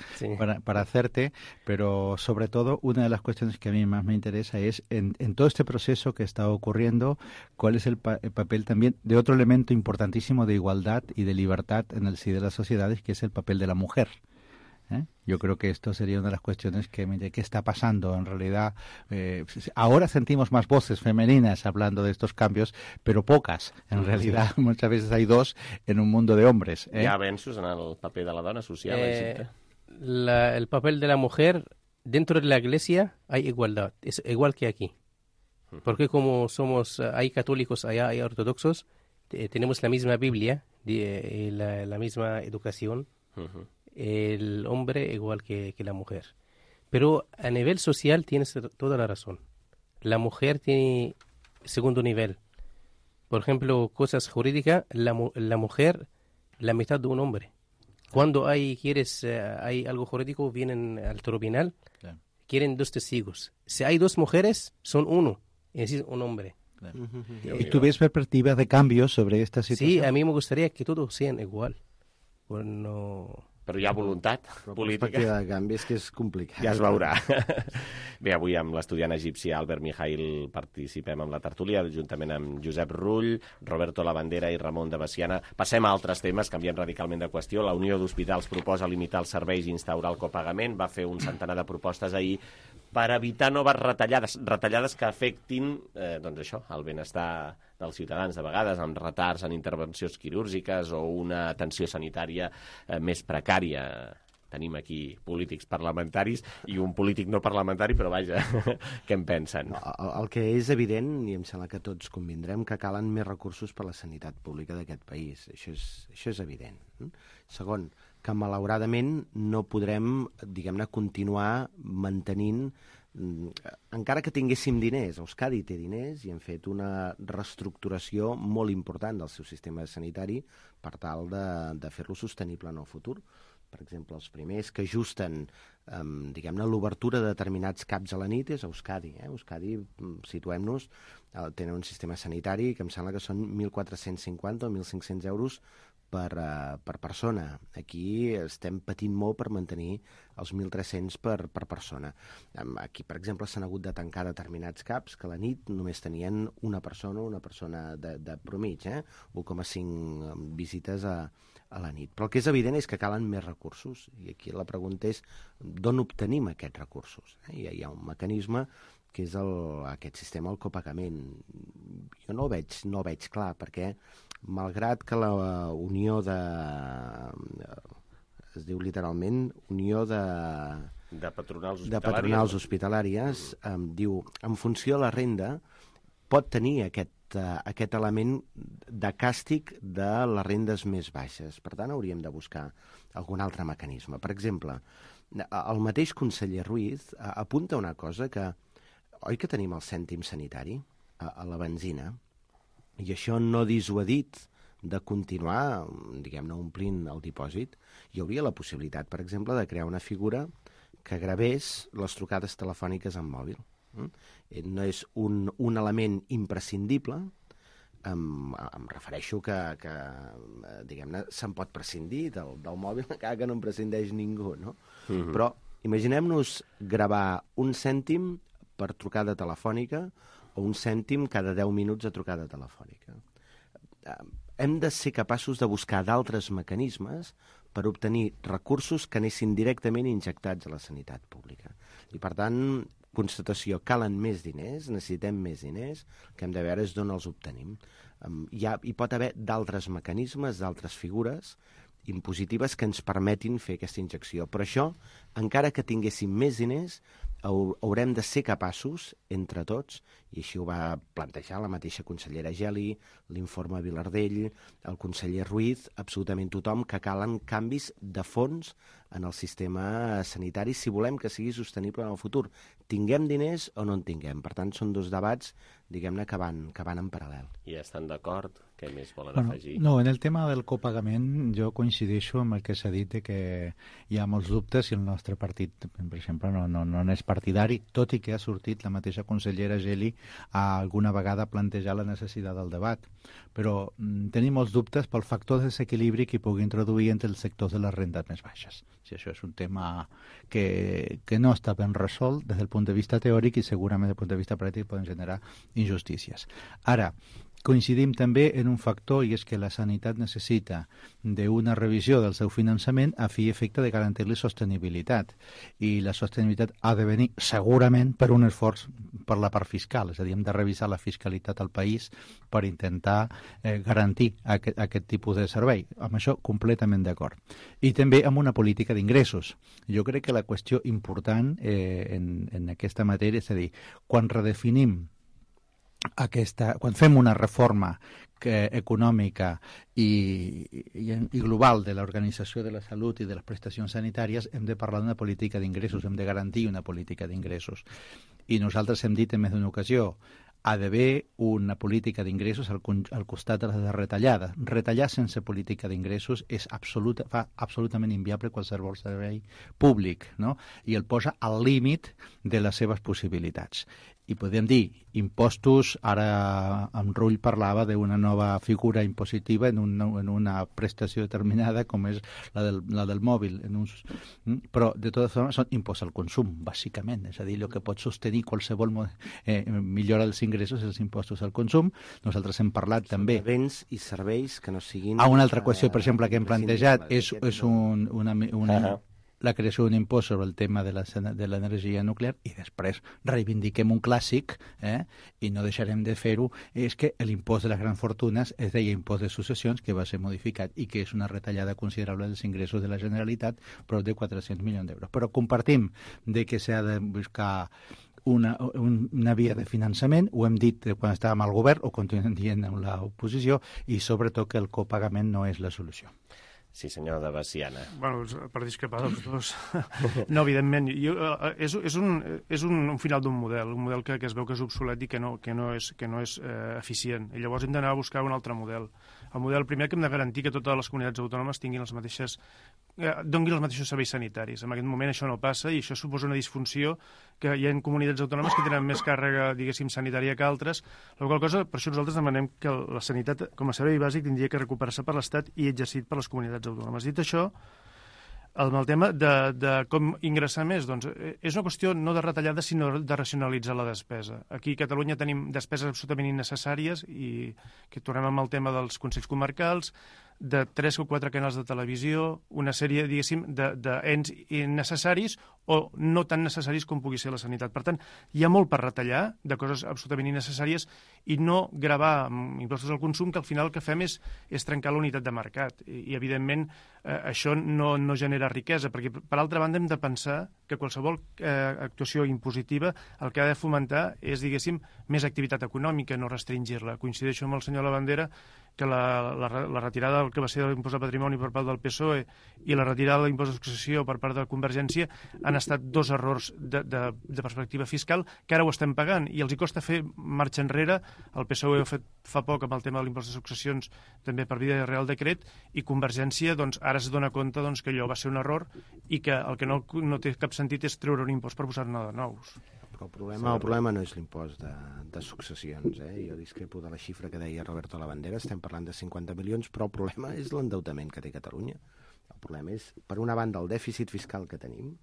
para hacerte, pero sobre todo una de las cuestiones que a mí más me interesa es, en todo este proceso que está ocurriendo, cuál es el papel también de otro elemento importantísimo de igualdad y de libertad en el sí de las sociedades, que es el papel de la mujer. Yo creo que esto sería una de las cuestiones que ¿qué está pasando? En realidad, ahora sentimos más voces femeninas hablando de estos cambios, pero pocas. En realidad, muchas veces hay dos en un mundo de hombres. ¿Hi ha avenços en el paper de la dona social a Egipte? El papel de la mujer dentro de la iglesia hay igualdad, es igual que aquí. Porque como hay católicos allá, hay ortodoxos, tenemos la misma Biblia, la misma educación. El hombre igual que la mujer. Pero a nivel social tienes toda la razón. La mujer tiene segundo nivel. Por ejemplo, cosas jurídicas, la mujer, la mitad de un hombre. Cuando hay algo jurídico, vienen al tribunal, quieren 2 testigos. Si hay 2 mujeres, son 1, es decir, un hombre. ¿Y tú ves perspectivas de cambio sobre esta situación? Sí, a mí me gustaría que todos sean igual. Però hi ha voluntat política. Perspectiva de canvi és que és complicat. Ja es veurà. Bé, avui amb l'estudiant egipci Albert Mijaíl participem amb la tertúlia, juntament amb Josep Rull, Roberto Labandera i Ramon de Bessiana. Passem a altres temes, canviem radicalment de qüestió. La Unió d'Hospitals proposa limitar els serveis i instaurar el copagament. Va fer un centenar de propostes ahir per evitar noves retallades que afectin el benestar dels ciutadans, de vegades amb retards en intervencions quirúrgiques o una atenció sanitària més precària. Tenim aquí polítics parlamentaris i un polític no parlamentari, però vaja, què en pensen? El que és evident, i em sembla que tots convindrem, que calen més recursos per a la sanitat pública d'aquest país. Això és evident. Segon, que malauradament no podrem, diguem-ne, continuar mantenint encara que tinguéssim diners, Euskadi té diners i hem fet una reestructuració molt important del seu sistema sanitari per tal de fer-lo sostenible en el futur. Per exemple, els primers que ajusten diguem-ne, l'obertura de determinats CAPs a la nit és Euskadi. Euskadi, situem-nos, tenen un sistema sanitari que em sembla que són 1.450 o 1.500 euros per persona. Aquí estem patint molt per mantenir els 1.300 per persona. Aquí, per exemple, s'han hagut de tancar determinats CAPs que a la nit només tenien una persona de promig, 1,5 visites a la nit. Però el que és evident és que calen més recursos, i aquí la pregunta és d'on obtenim aquests recursos. Hi ha un mecanisme que és aquest sistema del copagament. Jo no ho veig clar, perquè malgrat que la Unió es diu literalment Unió de patronals hospitalàries, diu, en funció de la renda, pot tenir aquest element de càstig de les rendes més baixes. Per tant, hauríem de buscar algun altre mecanisme. Per exemple, el mateix conseller Ruiz apunta una cosa que, oi que tenim el cèntim sanitari a la benzina, i això no dissuadit de continuar, diguem-ne, omplint el dipòsit. Hi hauria la possibilitat, per exemple, de crear una figura que gravés les trucades telefòniques en mòbil. No és un element imprescindible, em refereixo que diguem-ne, se'n pot prescindir del mòbil, encara que no en prescindeix ningú, no? Però imaginem-nos gravar un cèntim per trucada telefònica o un cèntim cada 10 minuts a trucada telefònica. Hem de ser capaços de buscar d'altres mecanismes per obtenir recursos que anessin directament injectats a la sanitat pública. I, per tant, constatació, calen més diners, necessitem més diners, el que hem de veure és d'on els obtenim. Hi pot haver d'altres mecanismes, d'altres figures impositives que ens permetin fer aquesta injecció. Però això, encara que tinguéssim més diners, haurem de ser capaços, entre tots, i així ho va plantejar la mateixa consellera Geli, l'informe Vilardell, el conseller Ruiz, absolutament tothom, que calen canvis de fons en el sistema sanitari si volem que sigui sostenible en el futur. Tinguem diners o no en tinguem. Per tant, són dos debats, diguem-ne, que van en paral·lel. I estan d'acord? Què més volen afegir? No, en el tema del copagament jo coincideixo amb el que s'ha dit de que hi ha molts dubtes i el nostre partit, per exemple, no és partidari, tot i que ha sortit la mateixa consellera Geli a alguna vegada plantejar la necessitat del debat. Però tenim molts dubtes pel factor de desequilibri que hi pugui introduir entre els sectors de les rendes més baixes. Si això és un tema que no està ben resolt des del punt de vista teòric i segurament des del punt de vista pràctic poden generar injustícies. Ara, coincidim també en un factor, i és que la sanitat necessita d'una revisió del seu finançament a fi i efecte de garantir-li sostenibilitat. I la sostenibilitat ha de venir segurament per un esforç per la part fiscal, és a dir, hem de revisar la fiscalitat al país per intentar garantir aquest tipus de servei. Amb això completament d'acord. I també amb una política d'ingressos. Jo crec que la qüestió important en aquesta matèria, és a dir, quan redefinim quan fem una reforma econòmica i global de l'organització de la salut i de les prestacions sanitàries, hem de parlar d'una política d'ingressos, hem de garantir una política d'ingressos. I nosaltres hem dit en més d'una ocasió, ha d'haver una política d'ingressos al costat de les retallades. Retallar sense política d'ingressos fa absolutament inviable qualsevol servei públic, no? I el posa al límit de les seves possibilitats. I podem dir, impostos, ara en Rull parlava d'una nova figura impositiva en una prestació determinada com és la del mòbil. Però, de totes formes, són imposts al consum, bàsicament. És a dir, el que pot sostenir qualsevol millora dels ingressos és els impostos al consum. Nosaltres hem parlat també... Béns i serveis que no siguin... Una altra qüestió, per exemple, que hem plantejat és la creació d'un impost sobre el tema de l'energia nuclear i després reivindiquem un clàssic i no deixarem de fer-ho, és que l'impost de les grans fortunes es deia impost de successions, que va ser modificat i que és una retallada considerable dels ingressos de la Generalitat, prop de 400 milions d'euros. Però compartim de que s'ha de buscar una via de finançament, ho hem dit quan estàvem al govern, ho continuem dient en l'oposició, i sobretot que el copagament no és la solució. Sí, senyor de Veciana. Bueno, per discrepar dels dos. No, evidentment. És un final d'un model, un model que es veu que és obsolet i que no és eficient. I llavors hem d'anar a buscar un altre model. El model primer que hem de garantir que totes les comunitats autònomes tinguin donguin els mateixos serveis sanitaris. En aquest moment això no passa i això suposa una disfunció que hi ha comunitats autònomes que tenen més càrrega, diguéssim, sanitària que altres. La qual cosa, per això nosaltres demanem que la sanitat com a servei bàsic tindria que recuperar-se per l'Estat i exercit per les comunitats autònomes. Dit això, el tema de com ingressar més, doncs, és una qüestió no de retallada, sinó de racionalitzar la despesa. Aquí a Catalunya tenim despeses absolutament innecessàries i que tornem amb el tema dels consells comarcals, de 3 o 4 canals de televisió, una sèrie, diguéssim, d'ens innecessaris o no tan necessaris com pugui ser la sanitat. Per tant, hi ha molt per retallar de coses absolutament innecessàries i no gravar amb impostos al consum, que al final el que fem és trencar la unitat de mercat. I evidentment, això no genera riquesa, perquè, per altra banda, hem de pensar que qualsevol actuació impositiva el que ha de fomentar és, diguéssim, més activitat econòmica, no restringir-la. Coincideixo amb el senyor Labandera que la retirada del que va ser l'impost de patrimoni per part del PSOE i la retirada de l'impost de successió per part de la Convergència han estat dos errors de perspectiva fiscal que ara ho estem pagant i els hi costa fer marxa enrere. El PSOE ho ha fet fa poc amb el tema de l'impost de successions també per via de Real Decret i Convergència doncs, ara es dona compte doncs, que allò va ser un error i que el que no té cap sentit és treure un impost per posar-ne de nous. Però el problema no és l'impost de successions. Jo discrepo de la xifra que deia Roberto Labandera, estem parlant de 50 milions, però el problema és l'endeutament que té Catalunya. El problema és, per una banda, el dèficit fiscal que tenim,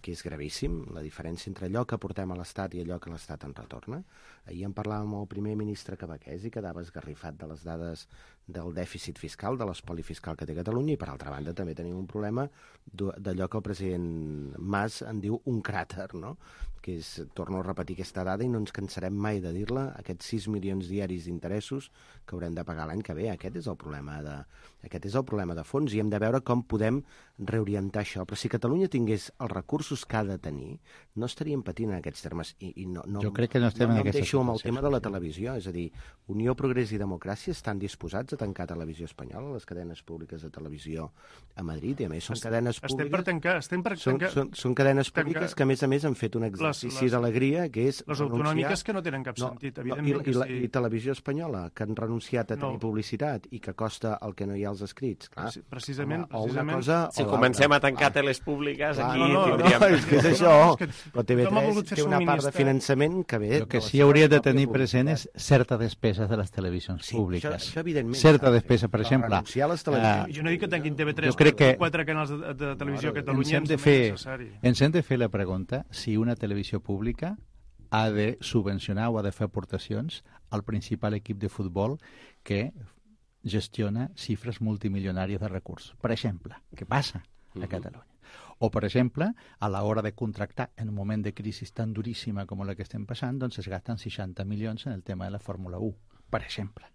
que és gravíssim, la diferència entre allò que aportem a l'Estat i allò que l'Estat en retorna. Ahir en parlàvem amb el primer ministre quebequès i quedava esgarrifat de les dades del dèficit fiscal, de l'espoli fiscal que té Catalunya, i per altra banda també tenim un problema d'allò que el president Mas en diu un cràter, no? Que és, torno a repetir aquesta dada i no ens cansarem mai de dir-la, aquests 6 milions diaris d'interessos que haurem de pagar l'any que ve. Aquest és el problema de fons i hem de veure com podem reorientar això. Però si Catalunya tingués els recursos que ha de tenir, no estaríem patint en aquests termes. Jo crec que no estem en aquesta situació. Amb el tema de la televisió, és a dir, Unió, Progrés i Democràcia estan disposats a tancar Televisió Espanyola, les cadenes públiques de televisió a Madrid, i a més són cadenes públiques... Estem per tancar. Són cadenes públiques que a més han fet un exercici d'alegria, que és les autonòmiques que no tenen cap sentit, evidentment. I Televisió Espanyola, que han renunciat a tenir publicitat i que costa el que no hi ha als escrits. Clar, precisament. Si comencem a tancar teles públiques, aquí tindríem... No, és que és això. Però TV3 té una part de finançament que ve... El que sí hauria de tenir present és certa despesa de les televisions públiques. Això evidentment. Certa despesa, per exemple... Jo no dic que tanquin TV3, però 4 canals de televisió a Catalunya ens hem de fer la pregunta si una televisió pública ha de subvencionar o ha de fer aportacions al principal equip de futbol que gestiona xifres multimilionàries de recursos. Per exemple, què passa a Catalunya? O, per exemple, a l'hora de contractar en un moment de crisi tan duríssima com la que estem passant, doncs es gasten 60 milions en el tema de la Fórmula 1, per exemple.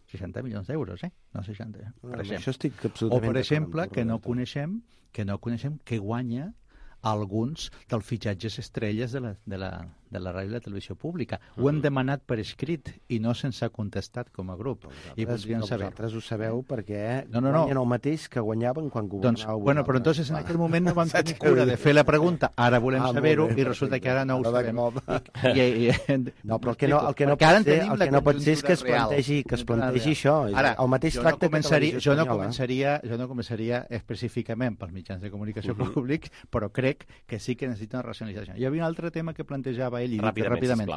60 milions d'euros, no 60, per exemple. O, per exemple, que no coneixem que guanya alguns dels fitxatges estrelles de la ràdio i la televisió pública. Ho hem demanat per escrit i no se'ns ha contestat com a grup. Vosaltres ho sabeu perquè guanyen el mateix que guanyaven quan governàveu. Bueno, però entonces en aquell moment no vam tenir cura de fer la pregunta. Ara volem saber-ho i resulta que ara no ho sabem. No, però el que no pot ser és que es plantegi això. El mateix tracte que Televisió Espanyola. Jo no començaria específicament pels mitjans de comunicació públics, però crec que sí que necessita una racionalització. Hi havia un altre tema que plantejava ell i ràpidament.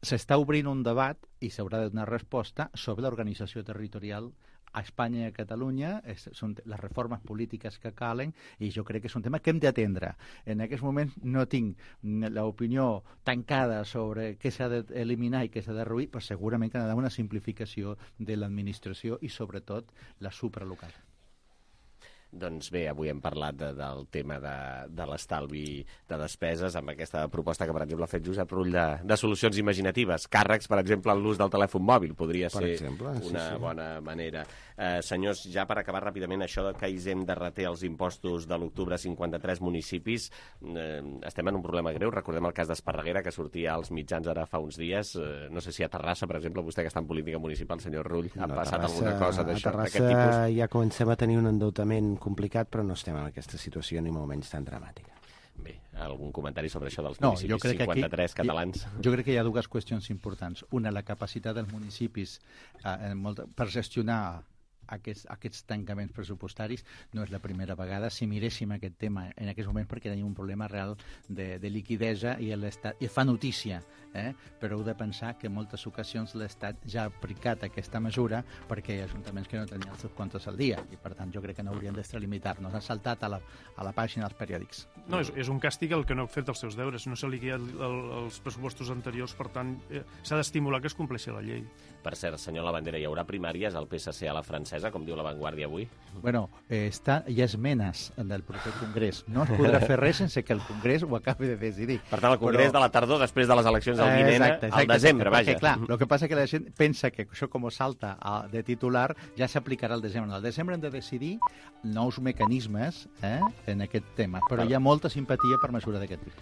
S'està obrint un debat i s'haurà de donar resposta sobre l'organització territorial a Espanya i a Catalunya, són les reformes polítiques que calen i jo crec que és un tema que hem d'atendre. En aquest moment no tinc l'opinió tancada sobre què s'ha d'eliminar i què s'ha de reduir, però segurament que ha d'haver una simplificació de l'administració i sobretot la supralocal. Doncs bé, avui hem parlat del tema de l'estalvi de despeses amb aquesta proposta que, per exemple, ha fet Josep Rull de solucions imaginatives. Càrrecs, per exemple, en l'ús del telèfon mòbil podria ser una bona manera. Senyors, ja per acabar ràpidament, això que Hisenda de reté els impostos de l'octubre a 53 municipis, estem en un problema greu. Recordem el cas d'Esparreguera, que sortia als mitjans ara fa uns dies. No sé si a Terrassa, per exemple, vostè que està en política municipal, senyor Rull, ha passat alguna cosa d'això, d'aquest tipus? A Terrassa ja comencem a tenir un endeutament complicat, però no estem en aquesta situació ni molt menys tan dramàtica. Bé, algun comentari sobre això dels municipis 53 catalans? Jo crec que hi ha dues qüestions importants. Una, la capacitat dels municipis per gestionar aquests tancaments pressupostaris. No és la primera vegada. Si miréssim aquest tema en aquests moments, perquè tenim un problema real de liquidesa i l'Estat fa notícia, però heu de pensar que en moltes ocasions l'Estat ja ha aplicat aquesta mesura perquè hi ha ajuntaments que no tenien els seus comptes al dia i per tant jo crec que no hauríem d'extralimitar-nos. Han saltat a la pàgina dels periòdics. No, és un càstig el que no ha fet els seus deures. No s'ha liquidat els pressupostos anteriors, per tant s'ha d'estimular que es compleixi la llei. Per cert, senyor Labandera, hi haurà primàries al PSC a la francesa, com diu La Vanguardia avui? Bueno, hi ha esmenes del proper congrés. No es podrà fer res sense que el congrés ho acabi de decidir. Per tant, el congrés de la tardor, després de les eleccions del vinent, al desembre, vaja. Perquè, clar, el que passa que la gent pensa que això com salta de titular ja s'aplicarà al desembre. Al desembre hem de decidir nous mecanismes en aquest tema, però hi ha molta simpatia per mesura d'aquest tipus.